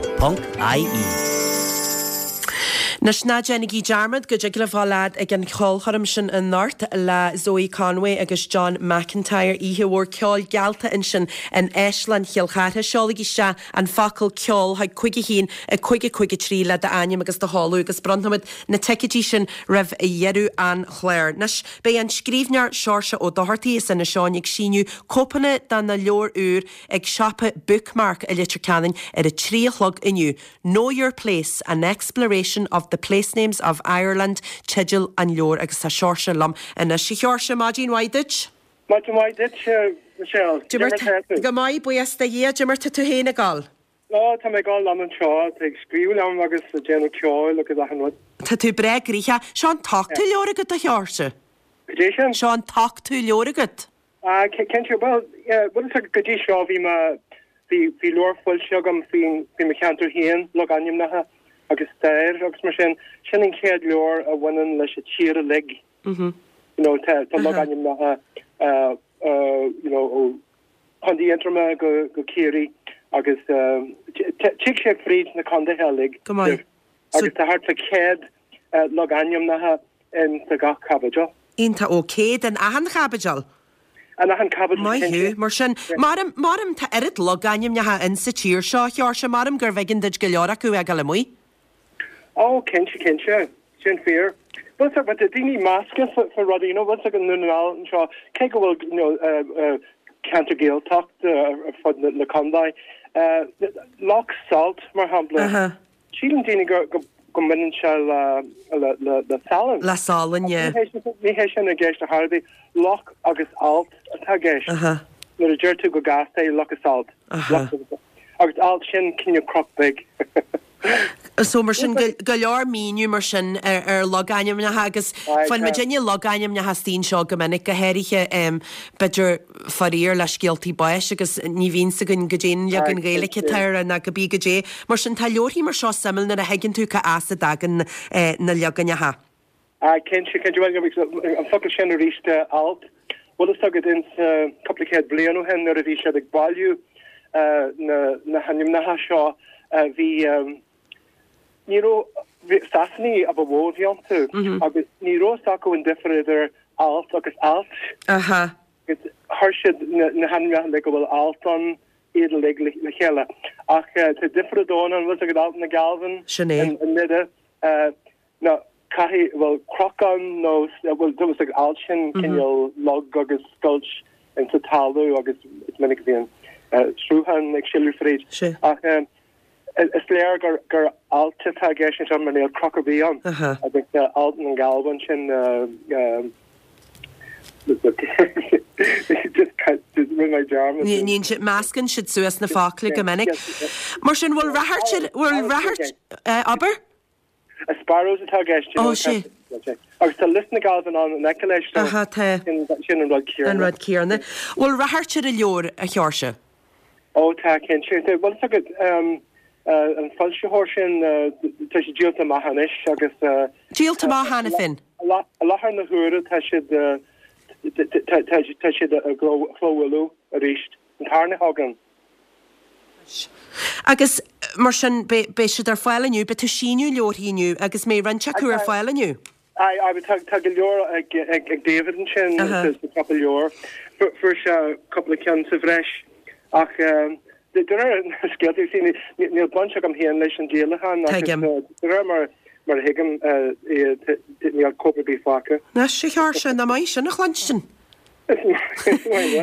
Anois ná déanaigí dearmad go dtig libh dul ag an cheolchoirm sin anocht le Zoe Conway agus John McIntyre oíche mhór ceoil geallta ansin in Áislann Chill Chartha. Seolaigí isteach an focal ceol chuig cúig a haon a cúig a cúig a trí le d'ainm agus do sheoladh agus bronnfaimid na ticéidí sin roimh dheireadh an chláir. Anois beidh an scríbhneoir Seoirse Ó Dochartaigh as Inis Eoghain ag síniú cóipeanna de na leabhair úr ag siopa Bookmark i Leitir Ceanainn ar a trí a chlog inniu. Know Your Place, an exploration of the place names of Ireland, teideal an leabhair agus tá Seoirse liom anois Seoirse maidin mhaith duit. Maidin mhaith duit Michelle. Go maith buíochas do Dhia goidé mar tá tú féin ag gabháil. Lá tá mé gáil am anseo ag scríobh liom agus déanamh ceoil agus achan rud. Tá tú breá gnoitheach, seo an t-ochtú leabhar agat a Sheoirse. Dé sin? Seo an t-ochtú leabhar agat. Cinnte well go dtí seo bhí bhí bhí leabhar foilsithe agam faoin faoi mo cheantar féin logainmneacha agus stair agus mar sin sin an chéad leabhar a bhaineann leis an tír uilig. Mhm. You know tá tá logainmneacha uh, uh, you know ó Contae Aontroma go go Ciarraí agus tig sé fríd na contaetha uilig. Go maith. Agus tá thart fá céad uh, logainmneacha in sa gach caibidil. Iontach ó céad in achan chaibidil. An achan caibidil Maith thú mar sin maram maram tá oiread logainmneacha in sa tír seo Sheoirse maram gur bheigen duit go leor acu ag le muoi. Ó cinnte cinnte sin fíor. Bhuel but daoine measctha for rudaí you know once go nu seo cé go bhfuil you know uh, uh, ceantar Gaeltacht uh, fud na, na contae. Uh, Loch Salt mar shampla. Uh -huh. Síleann daoine go go go mbaineann sé le le le le salann. Le salann yeah. Ní hé sin i gceist ar bith Loch agus Alt atá i gceist. Uh -huh. Nuair a deir tú go gasta Loch is Alt. Uh -huh. Agus alt sin cineál cnoc beag. So mar sin go leor míniú mar sin ar, ar logainmneacha agus fan me duine logainmneacha stín seo go minic go háirithe um, b'fhéidir faraor le scéaltaí báis agus ní bhíonn gon goidé leagan Gaeilge atá na go bí goidé. Mar sin tá leabharthaí mar seo suimiúil nuair a thuigeann tú cá as a dtagann eh, na leaganacha. Cinnte cinnte an focal sin arís alt. Bhfuil fhios agat in cúpla céad bliain ó shin nuair a bhí siad ag bailiú na na hainmneacha seo bhí ní Sasanaigh a ba mhó a bhí iontu agus ní raibh acu an difear idir alt agus ailt. Aha. Agus chuir siad na hainmneacha le go bhfuil alt an iad le le chéile. Ach tá difear dóna an bhfuil agat Alt na Galvin Sin é. i nDoire na caihí bhfuil crocán nó bhfuil du ag alt sin cineál log agus scoilt in sa talamh agus is minic bhíonn sruthán ag sileadh fríd. Ach is léir gur gur alt atá i gceist sin mar níl cnoc ar bith ann agus alt an Galvin sin Just rinne mé dearmad. Níonn siad, meascann siad suas na focla go minic. Mar sin, bhfuil rath, bhfuil rath, abair? A sparrows atá i gceist. Ó, sé. Agus tá Lios na Galban ann in aice leis Aha, tá. sin an rud céanna. An rud céanna. Bhfuil rath ar an leabhar, a Sheoirse? Ó tá cinnte. Bhuel tá agat an foilsitheoir sin tá siad díolta amach anois agus Díolta amach cheana féin? I láthair na huaire tá siad tá siad á gclóbhualadh arís an tarna chugainn. Agus mar sin beidh siad ar fáil inniu, beidh tú ag síniú leabharthaí inniu agus mbeidh roinnt acu ar fáil inniu. Aye, aye, tá tá go leor ag ag ag David ansin sa cúpla leabhar. Fuair sé cúpla ceann sa bhreis ach de réir na scéalta you see níl baint agam féin leis an díolachán agus de réir mar mar a thuigim níl cóip ar bith fágtha. Anois, a Sheoirse, nach maith sin a chluinstin.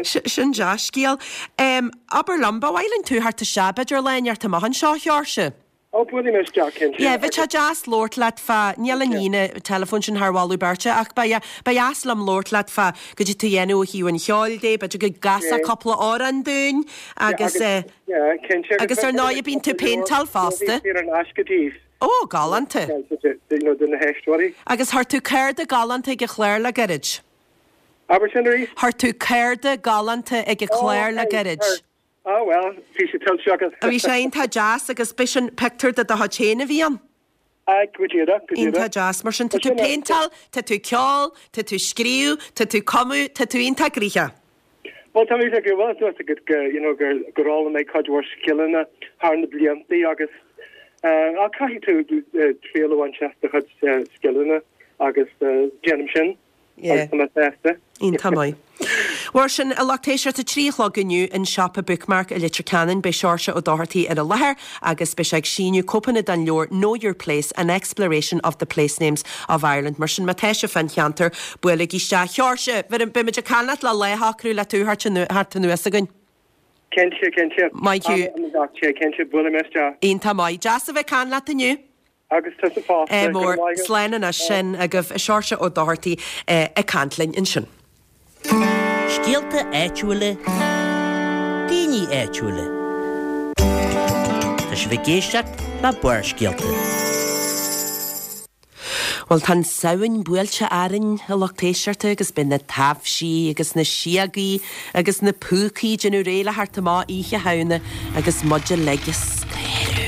Sin dea-scéal. Abair liom, ba mhaith linn tú theacht isteach b'fhéidir lá inteacht amach anseo, a Sheoirse? Ó, buailfidh mé isteach, cinnte. Yeah, bheadh sé deas labhairt leat fá, níl an líne teileafóin sin thar mholadh beirte, ach ba ba dheas liom labhairt leat fá goidé tú dhéanamh ó thaobh an cheoil de, b'fhéidir go gcasfá cúpla amhrán dúinn agus eh, Yeah, cinnte. agus ar ndóigh bíonn tú péinteáil fosta. Saor in aisce daoibh. Ó, galánta. You know, do na héisteoirí. Agus chuir tú cárta galánta ag an chlár le gairid. Abair sin arís? Chuir tú cárta galánta ag an chlár le gairid. Á bhuel, bhí sé tuillte agat. Bhí sé iontach deas agus b'shin pictiúr de do chuid féin a bhí ann. Aye, go díreach, go díreach. Iontach deas. Mar sin, tá tú péinteáil, tá tú ceol, tá tú scríobh, tá tú cumadh, tá tú iontach gnoitheach. Bhuel, tá mé ag bhuel, tá fhios agat go, you know, gur gur fhoghlaim mé cuid mhór scileanna thar na blianta agus eh, ach caithfidh tú eh, triail a bhaint as do chuid eh, scileanna agus eh, déanaim sin Yeah. agus tá mé sásta. Iontach maith. Mar sin, a lucht éisteachta, a trí a chlog inniu in siopa Bookmark i Leitir Ceanainn, beidh Seoirse Ó Dochartaigh ar an láthair agus beidh sé ag síniú cóipeanna den leabhar Know Your Place, An Exploration of the Place Names of Ireland. Mar sin, má tá sibh fán cheantar, buailigí isteach. Sheoirse, beimid ag caint leat le lá a shocrú le tú theacht anuas chugainn. Cinnte, cinnte. Maith thú. Am am gach sé, cinnte, buailfidh mé isteach. Iontach maith. Deas a bheith ag caint leat inniu. Agus tusa fosta. Eh, Go mór. raibh maith agat. Slán anois sin agaibh Seoirse Ó Dochartaigh eh, ag caint linn ansin. Scéalta áitiúla, daoine áitiúla. Tá sibh ag éisteacht le Barrscéalta. Bhuel tá an Samhain buailte orainn a lucht éisteachta agus beidh na taibhsí agus na síogaí agus na púcaí ag déanamh réidh le theacht amach Oíche Shamhna agus muid uilig ag scanrú.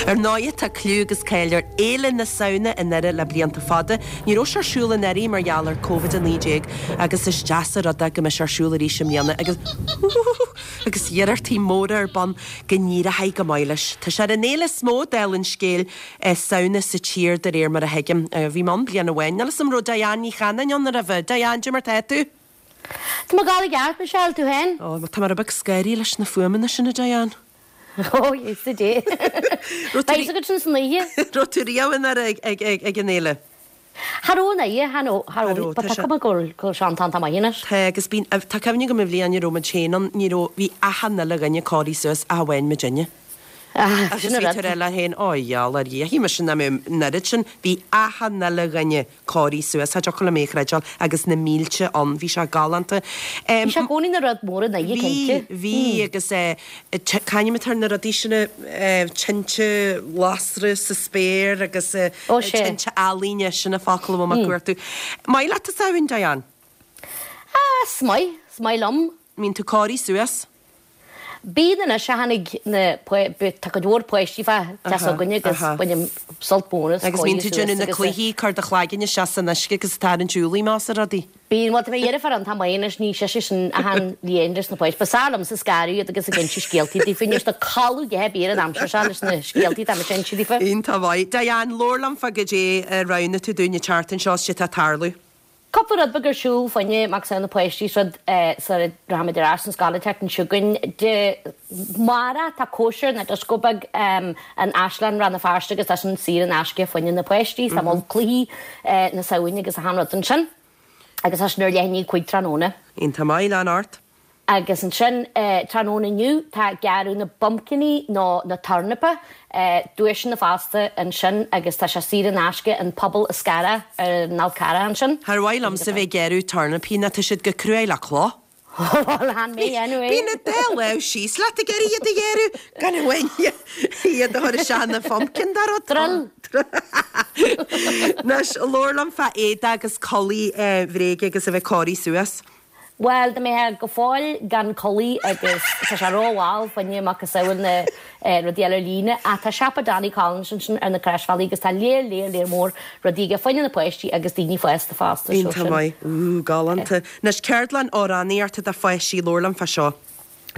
Ar ndóigh tá clú agus cáil ar Fhéile na Samhna i nDoire le blianta fada. Ní raibh sé ar siúl anuraidh mar gheall ar Covid a naoi déag agus is deas an rud é go mbeidh sé ar siúl arís i mbliana agus agus iarrachtaí móra ar bun go n-éireoidh go maith leis. Tá sé ar an fhéile is mó dála an scéil Samhna sa tír de réir mar a thuigim. Bhí mé ann bliain amháin. Níl 'fhios a'm raibh Diane Ní Chanainn ann roimhe. Diane, cad é mar tá tú? Tá mé i gceart, Michelle, tú féin? Ó, tá mé rud beag scanraithe leis na fuaimeanna sin a Diane. Ó, Íosa Dé. Beidh agat sin san oíche. Raibh tú riamh i nDoire ag ag ag an fhéile? Cha raibh an oíche, cha raibh, cha raibh, but tá cuma go bhfuil go bhfuil sé an-táinte maith anois. Tá, agus bíonn, tá cuimhne agam an bhliain a raibh muid féin ann, ní raibh, bhí achan uile dhuine cóirithe suas ach amháin muidinne. Ah, Agus sin an bhí rud. tú ag rá leat féin, ó gheall ar Dhia, shíl mise nach mbeadh an oiread sin, bhí achan uile dhuine cóirithe suas, cha dtiocfadh liom é a chreideáil, agus na mílte ann, bhí sé galánta. Bhí sé i gcónaí ina rud mór i nDoire, Bhí, cinnte. bhí, agus eh, c'ainm atá ar na rudaí sin, eh, tinte lasra sa spéir agus eh, Ó, sé. tinte ealaíne, sin an focal a bhfuil mé ag cuartú. Maith leat an Samhain, Diane? Ah, is maith, is maith liom. Mbíonn tú cóirithe suas? Bíonn anois a tháinig na tá cuid mhór páistí fá teach s'againne agus bainim sult mór as Agus bíonn tú déanamh na cluichí, cur do chlaigeann isteach san uisce agus tarraingt ualaí más ar rudaí. Bíonn, bhuel tá mo dheirfiúr iontach maith anois, ní sise sin achan bhliain leis na páistí. Ba fearr liomsa scaradh iad agus ag inse scéaltaí daofa, anois tá codladh go héibear an aimsir seo leis na scéaltaí atá muid ag inse daofa. Iontach maith. Diane, labhair liom fá goidé a roghnaigh tú dúinn an tseachtain seo is cad é atá ag tarlú. Cúpla rud beag ar siúl fá choinne Mac Samhna na páistí is rud sara rachaimid ar ais chun scoile an tseachtain seo chugainn. Dé amárach tá cóisir nó dioscó beag in Áislann Rann na Feirste agus tá sin saor in aisce fá choinne na páistí. Tá moll cluichí na Samhna agus achan rud ansin. Agus tá sin ar leath i ndiaidh a cúig tráthnóna. Iontach maith, lean ort. Agus ansin tráthnóna inniu tá gearradh na bpumpciní nó na tornapa, duaiseanna fosta ansin agus tá sé saor in aisce an Puball Scarra ar an Fhál Carrach ansin. Char mhaith liomsa bheith ag gearradh tornapaí nó tá siad go cruaidh le cloch. Bhuel, chan mé anyway. Bíonn an dá lámh síos leat ag iarraidh iad a ghearradh, gan amháin iad a chur isteach ina phumpkin dá rud. Drill! Anois, labhair liom fá éadaí agus culaith bhréige agus a bheith cóirithe suas. Bhuel, dá mbeifeá go fóill gan culaith agus tá sé rómhall fá choinne macasamhail na rudaí eile ar líne ach tá siopa Danny Collins ansin ar na Croisbhealaí agus tá léar léar léar mór rudaí aige fá choinne na páistí agus daoine fásta fosta. Iontach maith. Ooh, galánta. Anois, ceardlann amhránaíochta do pháistí, labhair liom fá seo.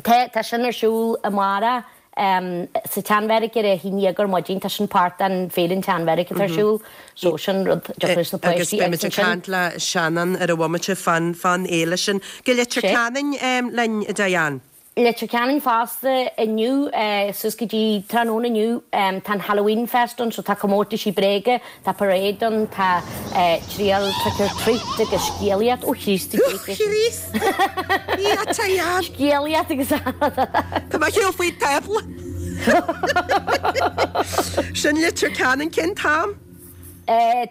Tá, tá sin ar siúl amárach. Sa tSeanbheairic ar a haon dhéag ar maidin, tá sin páirt den Féile an tSeanbheairic atá ar siúl, so sin rud a dtiocfadh leis na Agus páistí beimid agus ag ansin. caint le Seanán ar an bhomaite fán fán fhéile sin. Go Leitir Sé. Ceanainn linn, a Diane. Leitir Ceanainn fosta inniu, suas go dtí tráthnóna inniu, tá an Halloween Fest ann, so tá comórtaisí bréige, tá parade ann, tá triail trick or treat agus scéalaíocht, ó Chríost a Ó Chríost! A Diane! Scéalaíocht agus. Tá mé ar shiúl faoin tábla. Sin Leitir Ceanainn cén t-am?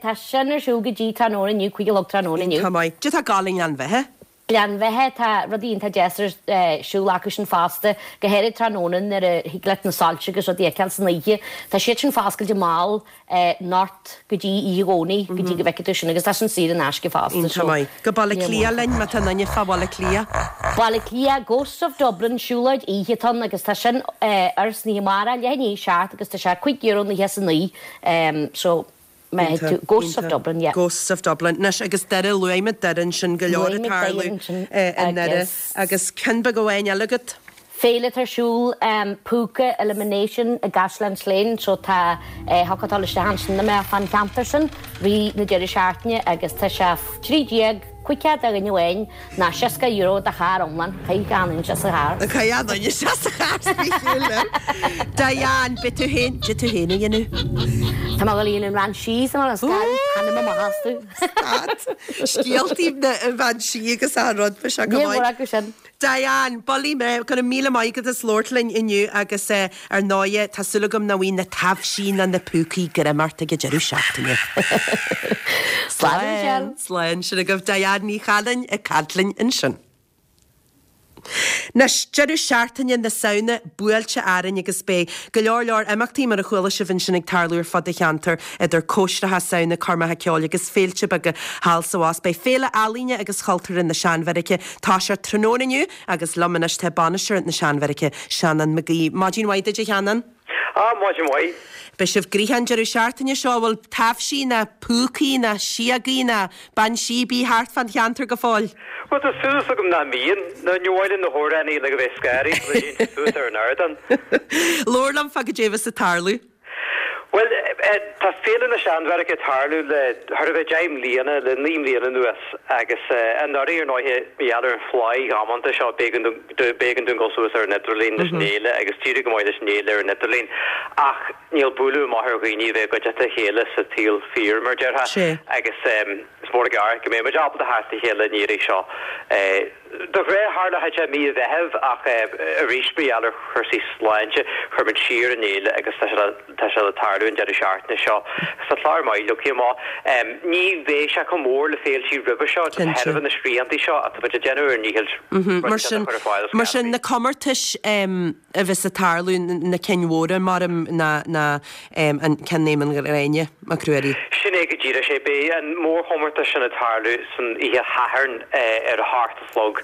Tá sin ar siúl go dtí tráthnóna inniu, cúig a chlog tráthnóna inniu. Tá maith. Cad é atá ag gabháil i nGleann Bheithe? Gleann Bheithe, tá rudaí iontach deas ar siúl acu sin fosta, go háirid tráthnóna nuair a thig leat na soilse agus rudaí a fheiceáil san oíche. Tá siad sin foscailte mall anocht go dtí oíche Dhomhnaigh, go dtí go bhfeicfidh tú sin agus tá sin saor in aisce fosta. Iontach maith. Go Baile Átha Cliath linn má tá duine fá Bhaile Átha Cliath. Baile Átha Cliath, Ghosts of Dublin, siúlóid oíche atá ann agus tá sin ar san oíche amárach, leath i ndiaidh a seacht agus tá sé cúig euro nócha is a naoi so má thig tú, Ghosts of Dublin, yeah. Ghosts of Dublin. Anois agus Doire, luaigh muid Doire ansin, go leor Luaigh ag muid Doire tarlú ansin i nDoire agus. Agus ceann beag amháin eile agat? Féile atá ar siúl, Púca Elimination i gCaisleán Sléine, so tá thiocfadh dul isteach ansin dá mbeifeá fán cheantar sin rith na deireadh seachtaine agus tá sé trí déag caoga do dhuine amháin ná seasca euro do charr iomlán. Caithfidh achan duine isteach sa charr. Caithfidh achan duine isteach sa charr spéisiúil liom. Diane, beidh tú féin, cad é tú féin a dhéanamh? Tá mé ag dul a dhéanamh an bhean sí sa mbaile, scaradh, ainm amach astu. Stad. Scéaltaí na bhean sí agus achan rud, bheadh sé go Níl maith. mórán acu sin. Diane, bullaí mé, go raibh míle maith agat as labhairt linn inniu agus ar ndóighe tá súil agam nach bhfaighidh na taibhsí ná na púcaí greim ort ag an deireadh seachtaine. Slán a Mhichelle. Slán, sin agaibh Diane Ní Chanainn ag caint linn ansin. Anois, deireadh seachtaine na Samhna buailte orainn agus beidh go leor leor imeachtaí mar a chuala sibh ansin ag tarlú ar fud an cheantair idir cóisreacha Samhna, coirmeacha ceoil agus féilte beaga thall 's abhus. Beidh Féile Ealaíne agus Chultúrtha na Seanbheairice toiseacht tráthnóna inniu agus liom anois tá bainisteoir na Seanbheairice, Seanán Mac Aoidh. Maidin mhaith duit a Sheanáin. Ah, maidin mhaith. Beidh sibh gnoitheach an deireadh seachtaine seo, an bhfuil taibhsí ná púcaí ná síogaí ná bean sí ar bith thart fán cheantar go fóill? Bhuel, tá súil agam nach mbíonn. Nó ní mhaith linn na hamhránaí uilig a bheith scary sula dtéann siad suas ar an ardán. Labhair liom fá goidé a bheas ag tarlú. Bhuel, tá Féile na Seanbheairice ag tarlú le thar a bheith deich mbliana, le naoi mbliana anuas agus anuraidh, ar ndóighe, mar gheall ar an phlá dhamanta seo, b'éigean b'éigean dúinn dul suas ar an idirlíon leis an fhéile agus d'éirigh go maith leis an fhéile ar an idirlíon ach níl bualadh amach ar dhaoine a bheith i gcuideachta a chéile sa tsaol fíor, mar a déarfá, agus is mór an gar go mbeidh muid ábalta theacht le chéile an iarraidh seo. De ghnáth tharlódh sé i mí an Mheithimh ach arís mar gheall ar chúrsaí sláinte chuir muid siar an fhéile agus tá sé le tá sé le tarlú an deireadh seachtaine seo. Tá clár maith leagtha amach. Ní bheidh sé chomh mór le féiltí roimhe seo de thairbhe na sriantaí seo ach tá muid ag déanamh ár ndícheall Mar sin rud a chur ar fáil mar sin na comórtais a bheas ag tarlú na cinn mhóra mar ná ná an ceann Éamonn Ghráinne Mac Ruairí. Sin é go díreach é. Beidh an mórchomórtas sin ag tarlú san oíche Shathairn ar a hocht a chlog.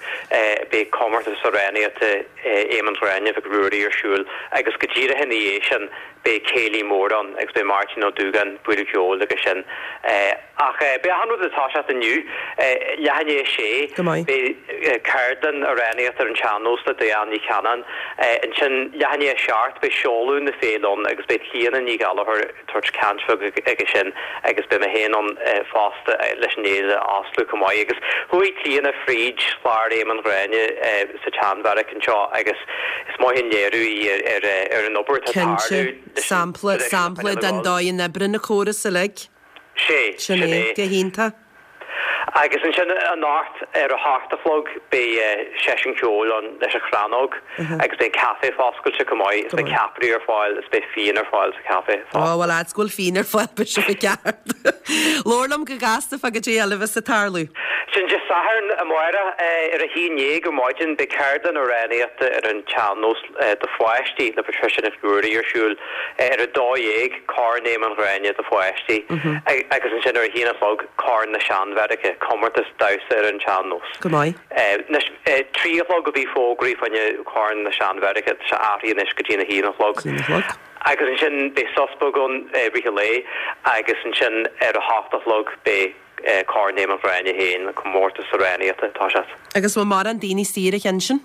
Beidh comórtas amhránaíochta Éamonn Ghráinne Mhic Ruairí ar siúl agus go díreach ina dhiaidh sin beidh céilí mór ann agus beidh Máirtín Ó Dúgáin ag bualadh ceoil agus sin. Ach beidh achan rud ag toiseacht inniu, leath i ndiaidh a sé, beidh ceardlann amhránaíochta ar an tsean-nós le Diane Ní Chanainn. Ansin leath i ndiaidh a seacht beidh seoladh na féile ann agus beidh Clíona Ní Ghallchóir ag tabhairt caint bheag aige sin agus beidh mé féin ann fosta leis an fhéile a osclú chomh maith. Agus chuaigh Clíona fríd chlár Éamonn Ghráinne sa tSeanbheairic anseo agus is maith an léiriú í ar ar an obair atá ag tarlú Cinnte. Sampla, sampla den dóigh a n-oibríonn an córas uilig. Sé, Sin é, go hiontach. Agus ansin anocht ar a hocht a chlog beidh seisiún ceoil ann leis an Chrannóg agus beidh an café foscailte chomh maith is beidh ceapairí ar fáil is beidh fíon ar fáil sa café Ó bhuel fhad 's go bhfuil fíon ar fáil beidh sibh i gceart. Labhair liom go gasta fá goidé eile a bheas ag tarlú. Sin Dé Sathairn amárach ar a haon dhéag ar maidin beidh ceardlann amhránaíochta ar an tsean-nós do pháistí le Patricia Nic Ruairí ar siúl ar a dó dhéag, Corn Éamoinn Ghráinne do pháistí agus ansin ar a haon a chlog Corn na Seanbheairice, comórtas damhsa ar an tsean-nós. Go maith. Anois, trí a chlog a bhí fógraithe fá choinne Corn na Seanbheairice, tá sé athraithe anois go dtí a haon a chlog. Haon a chlog. Agus ansin beidh sos beag ann i rith an lae agus ansin ar a hocht a chlog beidh Corn Éamoinn Ghráinne féin, an comórtas amhránaíochta, ag toiseacht. Agus bhfuil mórán daoine saor a cheann sin?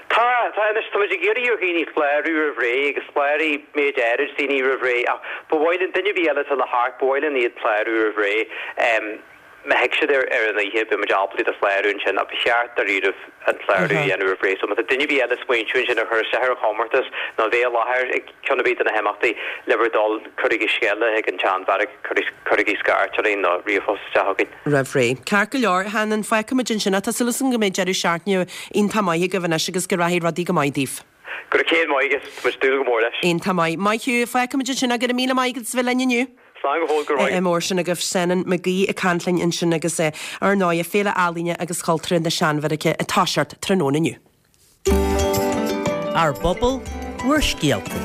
Tá, tá anois, tá muid ag iarraidh ar dhaoine clárú roimh ré agus chláraigh méid áirid daoine roimh ré ach ba mhaith linn, duine ar bith eile atá le theacht, ba mhaith linn iad clárú roimh ré. Má thig siad ar ar an oíche, beidh muid ábalta iad a chlárú ansin ach ba cheart dáiríribh an clárú a dhéanamh roimh ré. So má tá duine ar bith eile ag smaointiú ansin ar chur isteach ar an chomórtas nó a bheith i láthair ag ceann ar bith de na himeachtaí, le bhur dtoil, cuirigí scéala chuig an tSeanbheairic, cuirigí scairt orainn nó ríomhphost isteach chugainn. Roimh ré. Ceart go leor, a Sheanáin, fágfaimid ansin é. Tá súil agam go mbeidh deireadh seachtaine iontach maith agaibh anois agus go rachaidh rudaí go maith daoibh. Go raibh céad maith agat, tá muid ag dúil go mór leis. Iontach maith. Maith thú, fágfaimid ansin é. Go raibh míle maith agat as a bheith linn inniu. Slán go fóill, go raibh maith. Mór sin agaibh Seanán Mac Aoidh ag caint linn ansin agus ar ndóigh Féile Ealaíne agus Chultúrtha na Seanbheairice ag toiseacht tráthnóna inniu. Ár bpobal, bhur scéalta.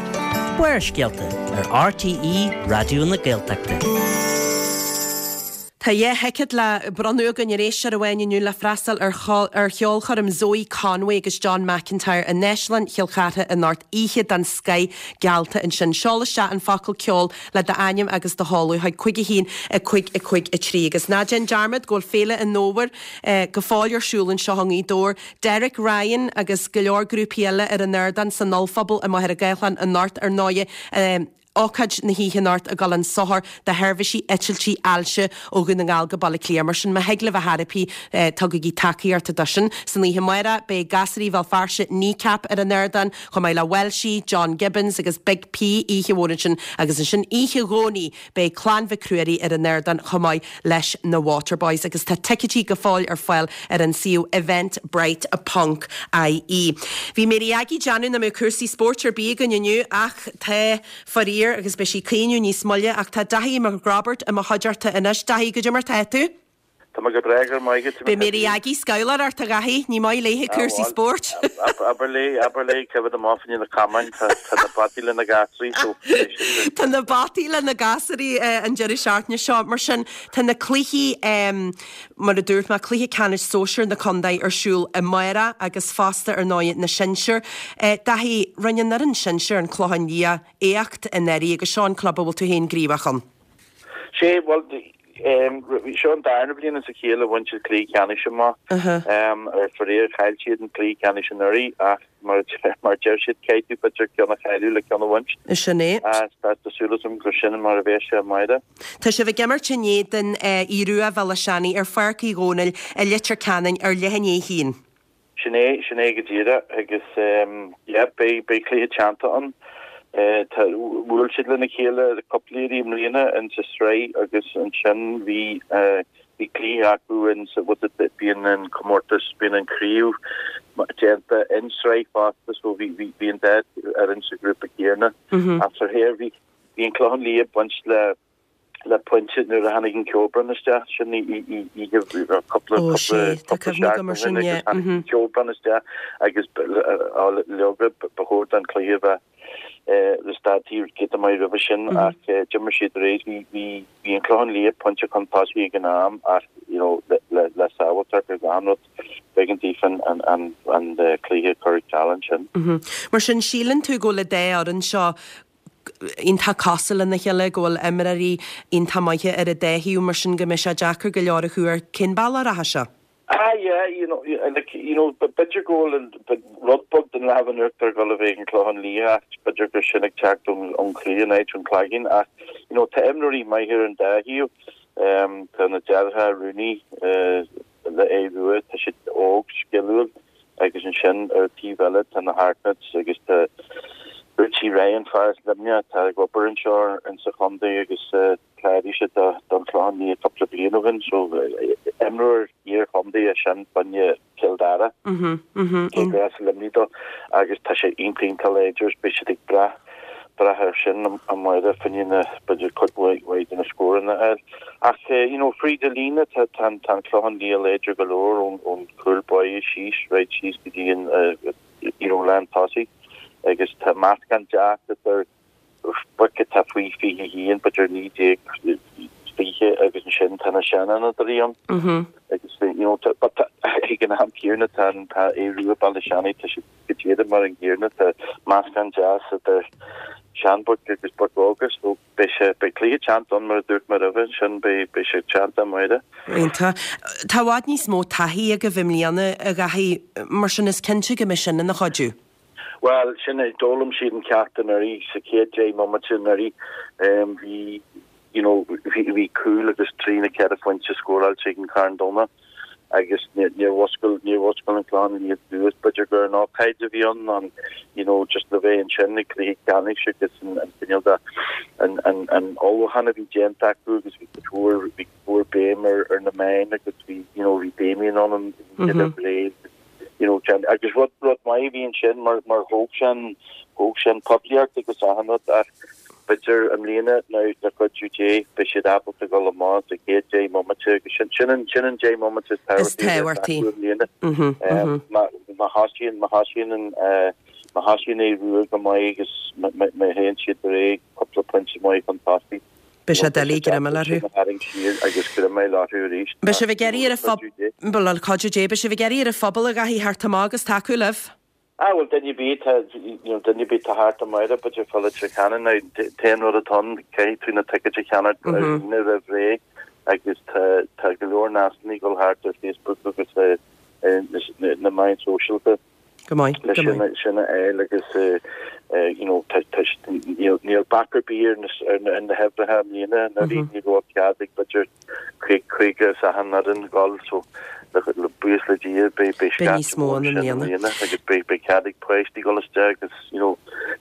Barrscéalta ar RTÉ Raidió na Gaeltachta. Tá dhá thicéad le bronnadh againn ar éisteoir amháin inniu le freastal ar ar cheolchoirm Zoe Conway agus John McIntyre in Áislann Chill Chartha anocht, oíche den scoith geallta ansin. Seol isteach an focal ceol le d'ainm agus do sheoladh chuig cúig a haon a cúig a cúig a trí. Agus ná déan dearmad go bhfuil Féile an Fhómhair go fóill ar siúl anseo i nGaoth Dobhair. Derek Ryan agus go leor grúpaí eile ar an ardán san ollphuball i Machaire Gathlán anocht ar ndóigh. Ócáid na hoíche anocht ag dul chun sochair do sheirbhísí eitiltí ailse ó Dhún na nGall go Baile Átha Cliath. Mar sin, má thig libh a thairpí, tugaigí tacaíocht dó sin. San oíche amárach, beidh gasraí Bhéal Feirste, Kneecap ar an ardán, chomh maith le Welshie, John Gibbons agus Big P, oíche mhór ansin. Agus ansin oíche Dhomhnaigh, beidh Clann Mhic Ruairí ar an ardán chomh maith leis na Waterboys. Agus tá ticéidí go fóill ar fáil ar an suíomh eventbrite ponc ie. Bhí Mary Aggie ag déanamh nach mbeadh cúrsaí spóirt ar bith againn inniu ach tá, faraor, agus beidh sí ag caoineadh níos moille ach tá Daithí Mac Roibeaird i mo chuideachta anois. Daithí, goidé mar tá tú? Tá mé go breá, go raibh maith agat. Beidh Mary Aggie scamhla ort a Dhaithí, ní maith léithe cúrsaí spóirt. Abair léi, abair léi coimhéad amach fá choinne na camáin, tá na bataí le na gasraí so beidh siad. Tá na bataí le na gasraí an deireadh seachtaine seo, mar sin tá na cluichí, mar a dúirt mé, cluiche ceannais sóisir na contae ar siúl amárach agus fosta ar ndóigh na sinsir. Daithí, rinne an fhoireann sinsir, an Clochán Liath, éacht anuraidh agus seo an club a bhfuil tú féin gníomhach ann. Sé, bhuel, seo an darna bliain as a chéile a bhain siad cluiche ceannais amach. Ar faraor, chaill siad an cluiche ceannais anuraidh ach mar a deir siad, caithfidh tú b'fhéidir ceann a chailleadh le ceann a bhaint. Sin é. Tá súil agam gur sin mar a bheas sé amárach. Tá sibh ag imirt in éadan Aodh Rua Bhéal Átha Seanaidh ar Pháirc Uí Dhónaill i Leitir Ceanainn ar leath i ndiaidh a haon. Sin é, sin é go díreach agus yeah, beidh, beidh cluiche teannta ann. Tá, bhuail siad lena chéile cúpla iarraidh i mbliana in sa sraith agus ansin bhí, bhí cluiche acu in sa, what's it, bíonn an comórtas, bíonn an craobh déanta in sraith fosta so bhí, bhí, bhí an dá fhoireann sa ghrúpa céanna. Ach faraor bhí, bhí an Clochán Liath ag baint le, le pointe nuair a tháinig an ceobhrán isteach, sin oíche cúpla Ó sé, tá cúpla cuimhne agam seachtain ar ó sin, shin agus yeah, tháinig mhm. an ceobhrán isteach agus leoga ba chóir don chluiche a bheith stadtaí giota maith roimhe sin ach d'imir siad ar aghaidh. Bhí bhí bhí an Clochán Liath pointe chun tosaigh ag an am ach you know le le le sábháilteacht ar achan rud b'éigean daofa an an an an cluiche a chur ar ceal ansin. Mar sin síleann tú go bhfuil an dá fhoireann seo iontach cosúil lena chéile, go bhfuil imreoirí iontach maithe ar an dá thaobh, mar sin go mbeidh sé deacair go leor a thuar cén bealach a rachaidh sé. Ah yeah, you know, like, you know, b'fhéidir go bhfuil rud beag den lámh in uachtar ag dul a bheith ag an Clochán Liath ach b'fhéidir gur sin ag teacht ón ón chluiche in áit ón Cloigeann ach you know, tá imreoirí maithe ar an dá thaobh. Um, tá na deartháireacha Rooney uh, le Aodh Rua, tá siad óg, sciliúil. Agus ansin ar an taobh eile tá na Hartnetts agus tá Richie Ryan, fear as Luimneach atá ag obair anseo in sa chontae agus chláraigh sé don Chlochán Liath cúpla bliain ó shin so Imreoir iar-chontae é sin fá choinne Cill Dara. Cé gur as Luimnigh dó agus tá sé iontach iontach láidir is beidh siad ag brath brath air sin amárach fá choinne b'fhéidir cuid mhaith de na scóranna a fháil. Ach you know fríd an líne tá tá an tá an Clochán Liath láidir go leor ón ón cúl báire síos right síos go dtí an you know lán tosaigh agus tá meascán deas idir boic atá faoi fiche haon, b'fhéidir naoi déag fiche agus ansin tá na seanfhondúirí ann agus you know tá but tá ag an am céanna tá an tá Aodh Rua Baile Seanaidh tá siad go díreach mar an gcéanna tá meascán deas idir seanbhoic agus boic óga so beidh sé beidh cluiche teannta ann mar a dúirt mé roimhe ansin beidh beidh sé teannta amárach. Iontach. Tá i bhfad níos mó taithí agaibh i mbliana a Dhaithí, mar sin is cinnte go mbeidh sin ina chuidiú. Bhuel, sin é, d'fhoghlaim siad an ceacht anuraidh, sa chéad deich mbomaite anuraidh, bhí, you know, bhí, bhí cúl agus trí nó ceithre phointe scóráilte ag an Charn Domhnach agus níor, níor mhuscail, níor mhuscail an Clochán Liath suas, b'fhéidir gur an ócáid a bhí ann, an, you know, just le bheith ansin ag cluiche ceannais agus an, an cineál de, an, an, an ullmhúchán a bhí déanta acu agus bhí cuid mhór, bhí cuid mhór béim ar, ar na meáin agus bhí, you know, bhí Damien ann an oíche roimh ré agus, you know, agus rud, rud maith a bhí ansin mar, mar thóg sé an, thóg sé an poiblíocht agus achan rud ach b'fhéidir i mbliana now le cuidiú Dé beidh siad ábalta dul amach sa chéad deich mbomaite agus sin, sin an, sin an deich mbomaite is Is tábhachtaí a bheas tábhachtaí. acu i mbliana. Mhm, mhm. Má, má thosaíonn, má thosaíonn an, eh, má thosaíonn Aodh Rua go maith agus má, má, má théann siad ar aghaidh cúpla pointe maith chun tosaigh, Beidh sé doiligh greim a fháil orthu. Beidh sibh ag iarraidh ar an phobal, bhuel, le cuidiú Dé, beidh sibh ag iarraidh ar an phobal a Dhaithí theacht amach agus tacú libh. Ah, bhuel, duine ar bith atá, you know, duine ar bith atá thart amárach, b'fhéidir fá Leitir Ceanainn, now, t-aon rud atá ann, caithfidh tú na ticéid a cheannacht ar líne roimh ré agus tá, tá go leor nascanna ag dul thart ar Facebook agus ar na meáin shóisialta. Go maith, le go sin maith. sin a fháil agus you know tá tá níl níl bac ar bith ar na ar na ar na huimhreacha i mbliana anuraidh ní raibh cead ag b'fhéidir caoga caoga as achan fhoireann dul so le le buíochas le Dia beidh beidh Beidh scaifte níos mó mór ann i sin i mbliana. mbliana agus beidh beidh cead ag páistí dul isteach agus you know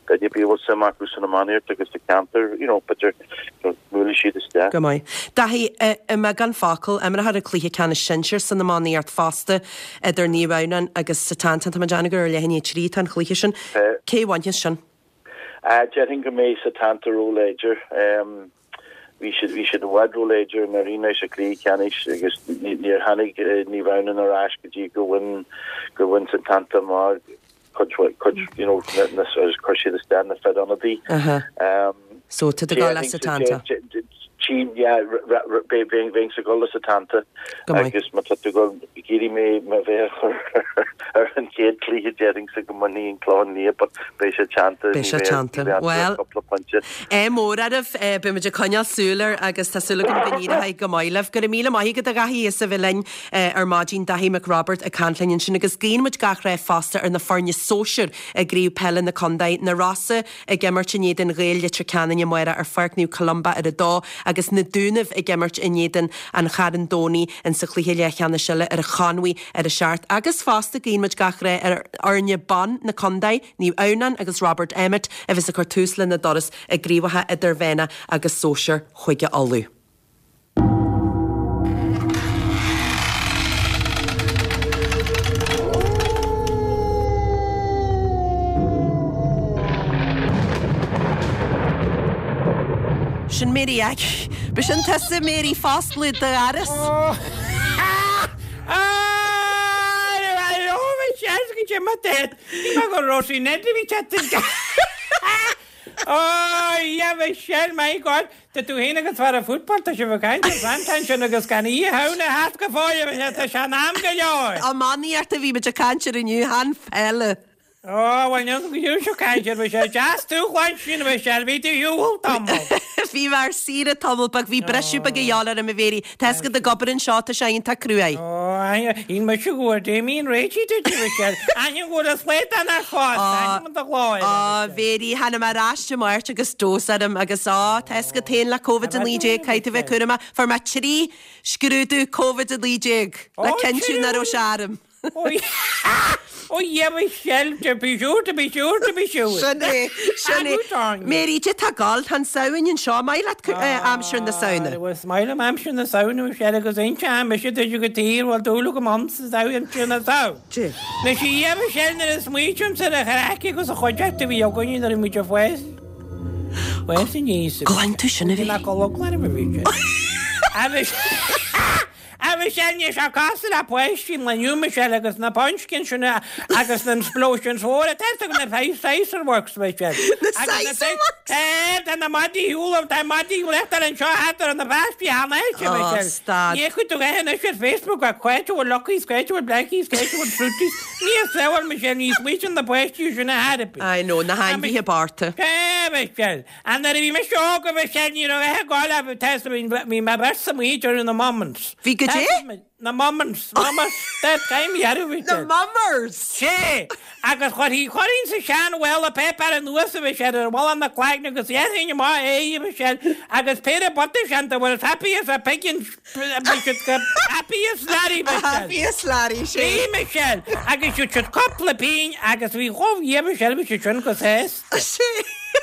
duine ar bith a bhfuil suim acu san iománaíocht agus sa cheantar you know b'fhéidir you know buailfidh siad isteach. Go maith. Daithí, i mbeagán focal, imreofar an cluiche ceannais sinsir san iománaíocht fosta idir Naomh Adhamhnáin agus Setanta. Tá mé ag déanamh gur ar leath i ndiaidh a trí atá an cluiche sin. Cé a bhainfeas sin? Déarfainn go mbeidh Setanta róláidir. Bhí siad bhí siad i bhfad róláidir anuraidh sa chluiche ceannais agus níor tháinig Naomh Adhamhnáin ar ais go dtí gur bhain gur bhain Setanta amach cuid cuid you know na na agus chuir siad isteach na fir ionadaí. So tá tú ag dul le Setanta. Tchím, yeah, bheinnse ag dul le Setanta Go maith. agus má tá tú ag dul ag iarraidh mé mo mhéar a chur ar an chéad chluiche déarfainnse go mbainfidh an Clochán Liath but beidh sé teannta, Beidh ní sé bheidh, ní teannta. bheidh Bhuel, cúpla pointe. ádh mór oraibh, beidh muid ag coinneáil súil air agus tá súil agam go n-éireoidh go maith libh. Go raibh míle maith agat a Dhaithí as a bheith linn ar maidin, Daithí Mac Roibeaird ag caint linn ansin agus guíonn muid gach rath fosta ar na foirne sóisir i gCraobh Peile na Contae, na Rosa ag imirt in éadan Ghaeil Leitir Ceanainn amárach ar Pháirc Naomh Columba ar a dó agus na Dúnaibh ag imirt in éadan an Charn Domhnaigh in sa chluiche leathcheannais eile ar an Chonmhaigh ar a seacht. Agus fosta guíonn muid gach rath ar fhoirne ban na contae, Naomh Adhamhnáin agus Robert Emmet a bheas ag cur tús lena dturas i gcraobhacha idirmheánach agus sóisir Chúige Uladh. Sin Mary Aggie. B'shin tusa Mary ag foscladh do dhoras. Oh, yeah, Michelle, my God. Tá tú féin agus fear an football, tá sibh ag caint ar Santain sin agus gan oíche Shamhna thart go fóill, tá sé in am go leor. Iománaíocht a bhí muid ag caint air inniu, chan peile. Ó, bhuel, níl go fiú seo caint air, bhí sé deas tú a chluinstin, Michelle, bhí tú ar shiúl tamall. Bhí mé ar saoire tamall beag, bhí briseadh beag a dhíobháil orm a Mhéirí. Tá a fhios agat ag obair anseo, tá sé iontach cruaidh. Ó, níl mise go bhfuair Damien réitithe duit, a Mhichelle. Aithním go bhfuil an slaghdán ar fás, aithním an do ghlór. Á, Mhéirí, tháinig mé ar ais Dé Máirt agus dós orm agus á, tá a fhios agat féin le Covid a naoi déag, caithfidh tú bheith cúramach. Fuair mé trí scrúdú Covid a naoi déag le cinntiú nach raibh sé orm. Ó yeah, Michelle, to be sure, to be sure, to be sure. Sin é, sin é. Mary, cad é tá ag gabháil, tá an Samhain anseo, maith leat aimsir na Samhna. Bhuel, is maith liom aimsir na Samhna, Michelle, agus inse mise duit go tír, bhfuil dúil agam ann sa aimsir na Samhna. Na sí yeah, Michelle, nuair a smaoitímse ar an chraic agus an chuideachta a bhí againne nuair a bhí muid ag fás. Fás aníos. Glan tú sin a bhí. Ná go loglan a bhí sé. Agus A Michelle, níl sé cosúil le páistí an lae inniu, Michelle, agus na pumpkins sin agus na explosions mhóra, tá fhios agat na Sizer Works, Michelle. Na Sizer Works? Tá, tá na maidí shiúl, tá maidí reachtáil anseo thart ar na páistí cheana, Oh, Michelle. stad. Ní chuid tú é anois ar Facebook ach cá háit a bhfuil Luckies, cá háit a bhfuil Blackies, cá háit a bhfuil Fruities. Ní saol, Michelle, ní smaoitíonn na páistí sin a thairbi. I know, na hainmhithe bochta. Tá, Michelle. A nuair a bhí mise óg, a Michelle, ní raibh a gá le test, bhí mé beirt sa mhaoid ar na Moments. Bhí go dé? Na Moments, Mamas, that time dhearú bhí Na Mummers! Sé, agus chuirfí chuirfinn sa sean bhuel paper anuas a Michelle ar bhalla na cloigne agus dhéanfainn amach é a Michelle agus péire bota sean de bhfuil happy as a pig in bhí siad go happy as Larry Michelle. Happy as Larry, sé. Bhí Michelle agus siad siad cúpla pingin agus bhí chomh yeah Michelle bhí siad sin go sásta. Sé.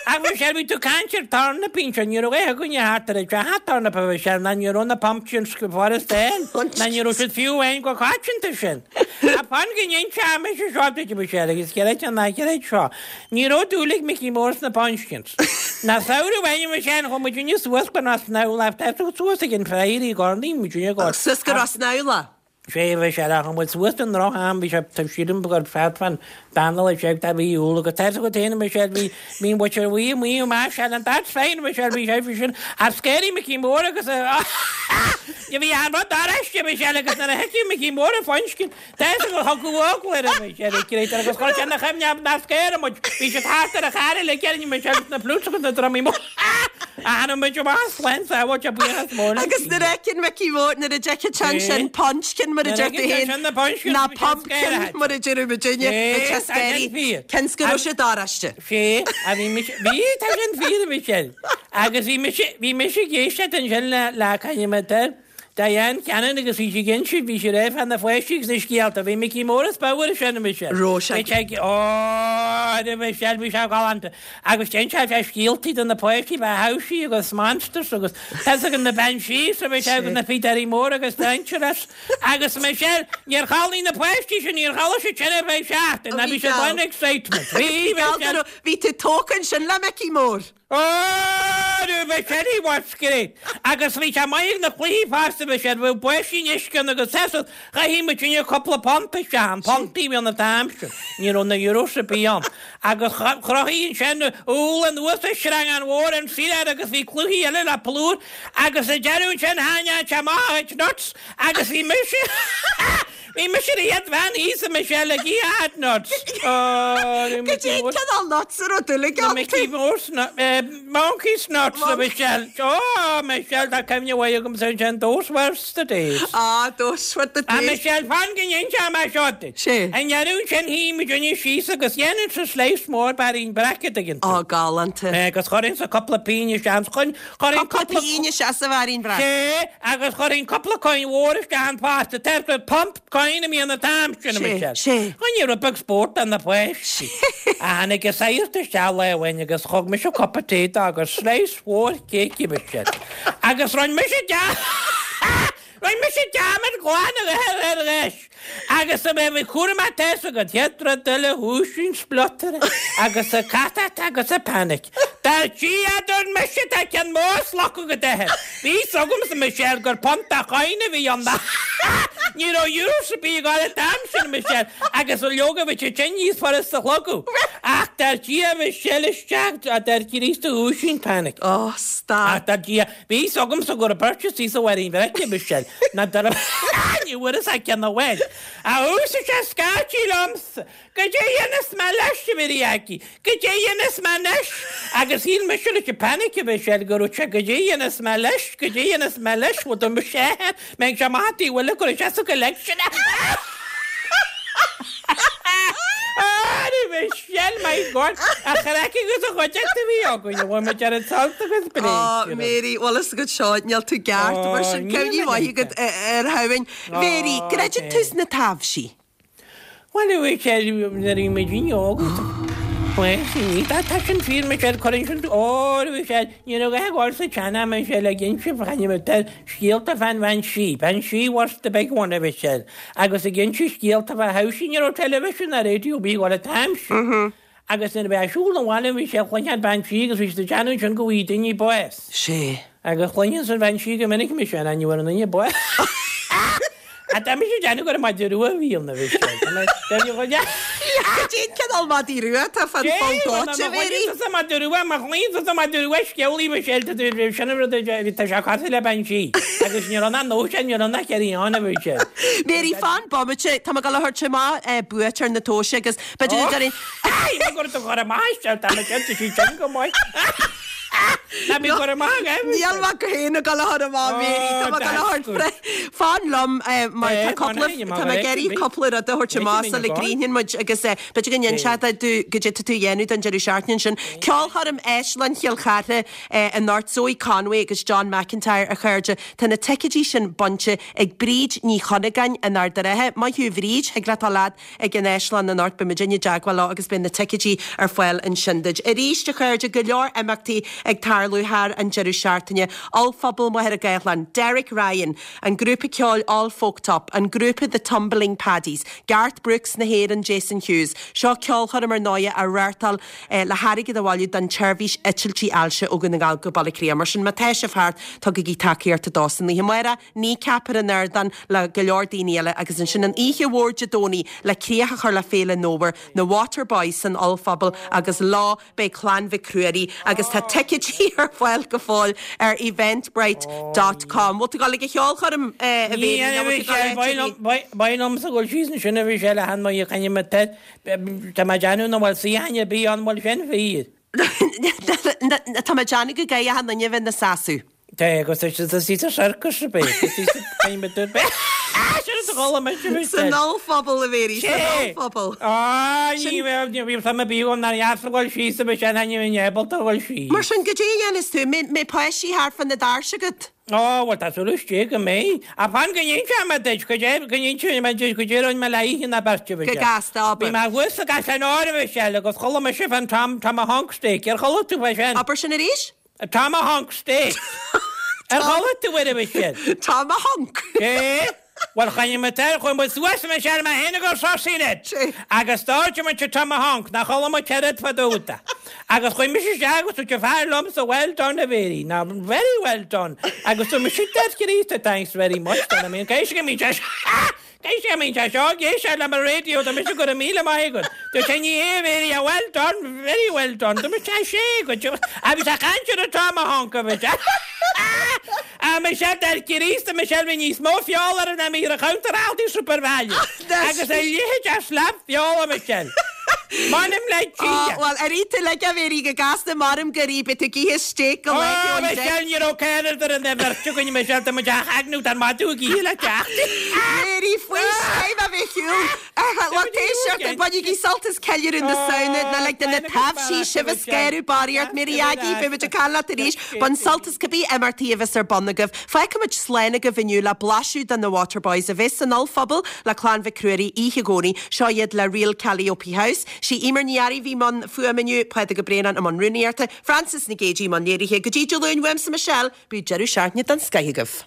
Ach Michelle bhí tú caint ar turnipín sin ní raibh é againne thart ar an teach turnip a Michelle ná ní raibh na pumpkins go furast ná ní raibh siad fiú amháin go coitianta sin. A fan go n-inseoidh mise seo duit Michelle agus creiid nó ná creid seo. Ní raibh dúil ag Mickey Mór sna pumpkins. Ná samhradh amháin Michelle chuaigh muidinne suas go Rossnowlagh tá tú suas ag an Friary i gCornaí muidinne go. Suas go Rossnowlagh. Sé bhí sé a muid suas den droch-am bhí sé sílim gur feadfan danal sé a bhí úla go te go téana Michelle bhí mí bhí bhí mí má sé an dat féin Michelle bhí sé bhí sin a scéirí Mickey Mór agus bhí an rud aráiste Michelle agus nuair a thuici Mickey Mór a pumpkin Tá go thug le Michelle créit agus chuir sé na chuimhne na scéir muid bhí sé thart ar a chair le ceann Michelle na flutes agus na drumaí mór. A muid más len sa a buíochas mór. Agus nuair a fheiceann Mickey Mór nuair a d'fheiceann sé sin pumpkin mar a deir tú féin ná pumpkin mar a deir muidinne bhí sé scary. Cionn go raibh sé daráiste. Sé a bhí mise bhí tá sin fíor Michelle. Agus bhí mise bhí mise ag éisteacht ansin le le cainime Diane Cannon agus bhí sí ginse bhí sí réamh na foiisi agus na scéalta bhí Mickey Mór is báhar sin Michelle. Raibh sé. Ó Michelle bhí sé galánta. Agus den sé sé scéaltaí do na páistí bheith hausí agus monsters agus tá an na banshees a bhí sé agus na Peterí Mór agus Dangerous agus Michelle níor chodlaigh na páistí sin níor chodlaigh siad sin ar feadh seachtain na bhí siad an excitement. Bhí Michelle. Bhí tú tógtha ansin le Mickey Mór. Ó Michelle he was great. Agus bhí sé maith na cluichí fosta Michelle bhí buisín uisce agus sesad chaithfidh muid sinne cúpla punt isteach an puntaí bhí an t-am sin. Ní raibh na euros a bhí ann. Agus chruthaigh sin úll anuas a sreang an mhór an saoire agus bhí cluichí eile le plúr agus a deireadh sin tháinig sé amach ag nuts agus bhí mise Bhí mise iad bhean íosa Michelle ag iad nuts. Go dtí cineál nuts a raibh dúil aige Na Mickey Mouse Monkey's nuts a Michelle. Ó Michelle tá cuimhne mhaith agam sin sin those were the days. Ah, those were the A days. Michelle fan go n-inseoidh mé seo duit. Sé. An deireadh sin shuigh muidinne síos agus dhéanann sa slice mór bairín bracket again. Á galánta. Agus chuirfinn sa cúpla pingin isteach chun chuirfinn Cúpla pingin isteach sa bhairín breac. Sé agus chuirfinn cúpla coin mhór isteach an fosta Tá pump coin a bhí an t-am sin Sé, Michelle. sé. Chuin rud beag spórt an na páistí. A tháinig a saoirte isteach lá amháin agus thug mise cupa tae dó agus slice mhór cake Michelle. Agus rinne mise de Rinne mise dearmad glan ar ar leis. Agus a bheith cúram teas agad chéad rud eile dhúisín splutter agus a catat agus a panic. Dar Dia dúirt mise tá ceann mór slacadh go deithe. Bhí agam sa Michelle gur punt a coin a bhí an Ní raibh euros a bhí ag an t-am sin Michelle agus an leoga bhí sé sin níos furasta a shlogadh. Ach dar Dia Michelle isteach a dar Críost dhúisín panic. Ó, stad. Ach dar Dia bhí agamsa go raibh purchase sa bhairín bhreac Michelle. Na dar ní bhfuair a ceann amháin. A úsa sé scaití liomsa, Goidé dhéanfas mé leis a bhí aici, Goidé dhéanfas mé leis, agus shíl mise leis an panic a bhí sé go raibh sé goidé dhéanfas mé leis, goidé dhéanfas mé leis, bhfuil do sé mé sé maith bhfuil go sé sa collection. Ah, Michelle, my God, a chraic agus a chuideachta a bhí againn, bhfuil muid ar an sult agus bréid. Ó, Mary, bhfuil fhios agat seo, níl tú ceart, mar sin níl cuimhní mé mhaith agat ar Shamhain. Mary, creideann tú sna taibhsí? Bhuel, a Mhichelle, nuair a bhí muidinne óg, bhuel, sin í, tá sin fíor, Michelle, cuireann sin, ó, a Mhichelle, ní raibh a ghabháil sa tsean-am, a Mhichelle, ag inse fá scéalta fán bhean sí, bean sí was the big one, a Mhichelle, agus ag inse scéalta fá how sí, ní raibh television ná radio ar bith ag gabháil an t-am sin. Agus nuair a bheadh siúl an bhaile bhí sé chluincheáil an bean sí agus bhí siad ag déanamh ansin go bhfaighidh daoine bás. Sé. Agus chluinfinn an bhean sí go minic mise an ainm ar an duine bás. Ach tá mise ag déanamh gur maide rua a bhí ann a bhí sé. Tá mé ag déanamh Cad é an cineál madaí rua atá fán pholl dóite, a Mhéirí? Má chluineann tusa maide rua, má chluineann tusa maide rua scéalaí Michelle tá tú sin an rud a tá sé cosúil le bean sí. Agus ní raibh ná nó sin, ní raibh ná carry on a bhí sé. Mary, fan bomaite, tá mé ag dul a thabhairt amach buaiteoir na tomhaise agus b'fhéidir go gcuirfinn. Ai, go raibh tú chur amach isteach, tá mé cinnte sí sin go maith. Ná bí chur amach, eh? Níl mé féin ag dul a chur amach, Mary, tá mé ag dul a thabhairt fan liom mar tá cúpla, tá mé ag iarraidh cúpla rud a thabhairt amach sula gcríochnaíonn muid agus b'fhéidir go n-inseofá domh goidé tá tú a dhéanamh don deireadh seachtaine ansin. Ceolchoirm Áislann Chill Chartha anocht, Zoe Conway agus John McIntyre a chairde. Tá na ticéidí sin bainte ag Bríd Ní Chunagáin in Ard an Rátha. Maith thú a Bhríd, thig leat dul fhad ag an Áislann anocht, beidh muidinne i dteagmháil leo agus beidh na ticéidí ar fáil ansin duit. Arís a chairde, go leor imeachtaí ag tarlú thar an deireadh seachtaine. Ollphuball Mhachaire Gathlán, Derek Ryan, an grúpa ceoil All Folked Up, an grúpa The Tumbling Paddies, Garth Brooks na hÉireann, Jason Hughes. Seo ceolchoirm ar ndóighe á reáchtáil le hairgead a bhailiú don tseirbhís eitiltí ailse ó Dhún na nGall go Baile Átha Cliath. Mar sin má tá sibh thart, tugaigí tacaíocht dó san oíche amárach, Kneecap ar an ardán le go leor daoine eile agus ansin an oíche mhór Dé Domhnaigh le críoch a chur le Féile an Fhómhair, na Waterboys san Ollphuball agus leo beidh Clann Mhic Ruairí agus tá ticéidí ar fáil go fóill ar eventbrite dot com. Bhfuil tú ag dul ag an cheolchoirm, a Mhéirí, nó bhfuil tú ag dul áit ar bith? Ba liomsa dul síos ansin a bhí sé le han mo chaine me te Tá mé ag déanamh nach bhfuil suíochán ar bith ann, bhfuil sin fíor? Tá mé ag déanamh go gcaithfidh achan duine a bheith ina seasamh. Tá, agus tá sí sa sorcas ar bith, tá sí sa chaine ar bith. Sin a chuala mise a bhí San ollphuball, a Mhéirí, san ollphuball. Á, ní bheadh, ní bhíonn suim ar bith agam nár dheas a dhul síos a bheith sin, ní bheinn ábalta a dhul síos. Mar sin, goidé a dhéanfas tú? Mbeidh páistí thart fá na doirse agat? Ó, bhuel, tá súil istigh go mbeidh. Ach fan go n-inseoidh mé duit, go dé, go n-inseoidh mé duit, goidé a rinne mé le hoíche ná beirt a Go gasta, abair. Bhí mé thuas sa gCaisleán Óir, a Mhichelle, agus chuala mise fán Tom, Tomahawk Steak. Ar chuala tú fá sin? Abair sin arís? Tomahawk Steak. Ar chuala tú air, a Mhichelle? Tomahawk. Sé. Bhuel, choinnigh muid air, chuaigh muid suas, a Mhichelle, mé féin agus Rosaí Ned. Agus d'ordaigh muid an Tomahawk, nach chuala muid oiread fá dtaobh de. Agus chuaigh mise isteach agus dúirt an fear liomsa, well done a Mhéirí, now very well done. Agus dúirt mise, Death Chríost, thanks very much, done I mean, caithfidh sé go mbíonn sé caithfidh sé go mbíonn sé seo ag éisteacht le mo radio, dúirt mise go raibh míle maith agat. Dúirt sé, ní hea a Mhéirí, ah well done, very well done. Dúirt mise, ah sé, go Ah bhí sé ag caint ar an Tomahawk a bhí sé. Ah Michelle, Death Chríost, Michelle, bhí níos mó feola air ná bhí ar an chuntar Aldi Supervalu. Agus a leithéid de slab feola, Michelle. M'anam le Dia! Bhuel, ar ith tú uilig, a Mhéirí, go gasta, maram gur ith, beidh tú ag ithe stéic go lá Ó, ón deich. Michelle, ní raibh céad ar an bheirt againn, Michelle, tá muid á chagnú, tá an madadh ag ithe le teacht. Mhéirí, faoi scéim a bheith shiúl. Lucht éisteachta, bainigí sult as ceiliúradh na Samhna, ná lig do na taibhsí sibh a scanrú barraíocht. Mary Aggie, beidh muid ag caint leat arís. Bain sult as cibé imeachtaí a bheas ar bun agaibh. Fágfaimid slán agaibh inniu le blaiseadh de na Waterboys a bheas san Ollphuball le Clann Mhic Ruairí oíche Dhomhnaigh. Seo iad le Real Calliope House. Sí Emer Ní Fhearraigh a bhí i mbun fuaime inniu, Pádraig Ó Braonáin i mbun rúnaíochta, Frances Nic Géadaigh i mbun léirithe. Go dtí Dé Luain uaimse Michelle, bíodh deireadh seachtaine den scoith agaibh.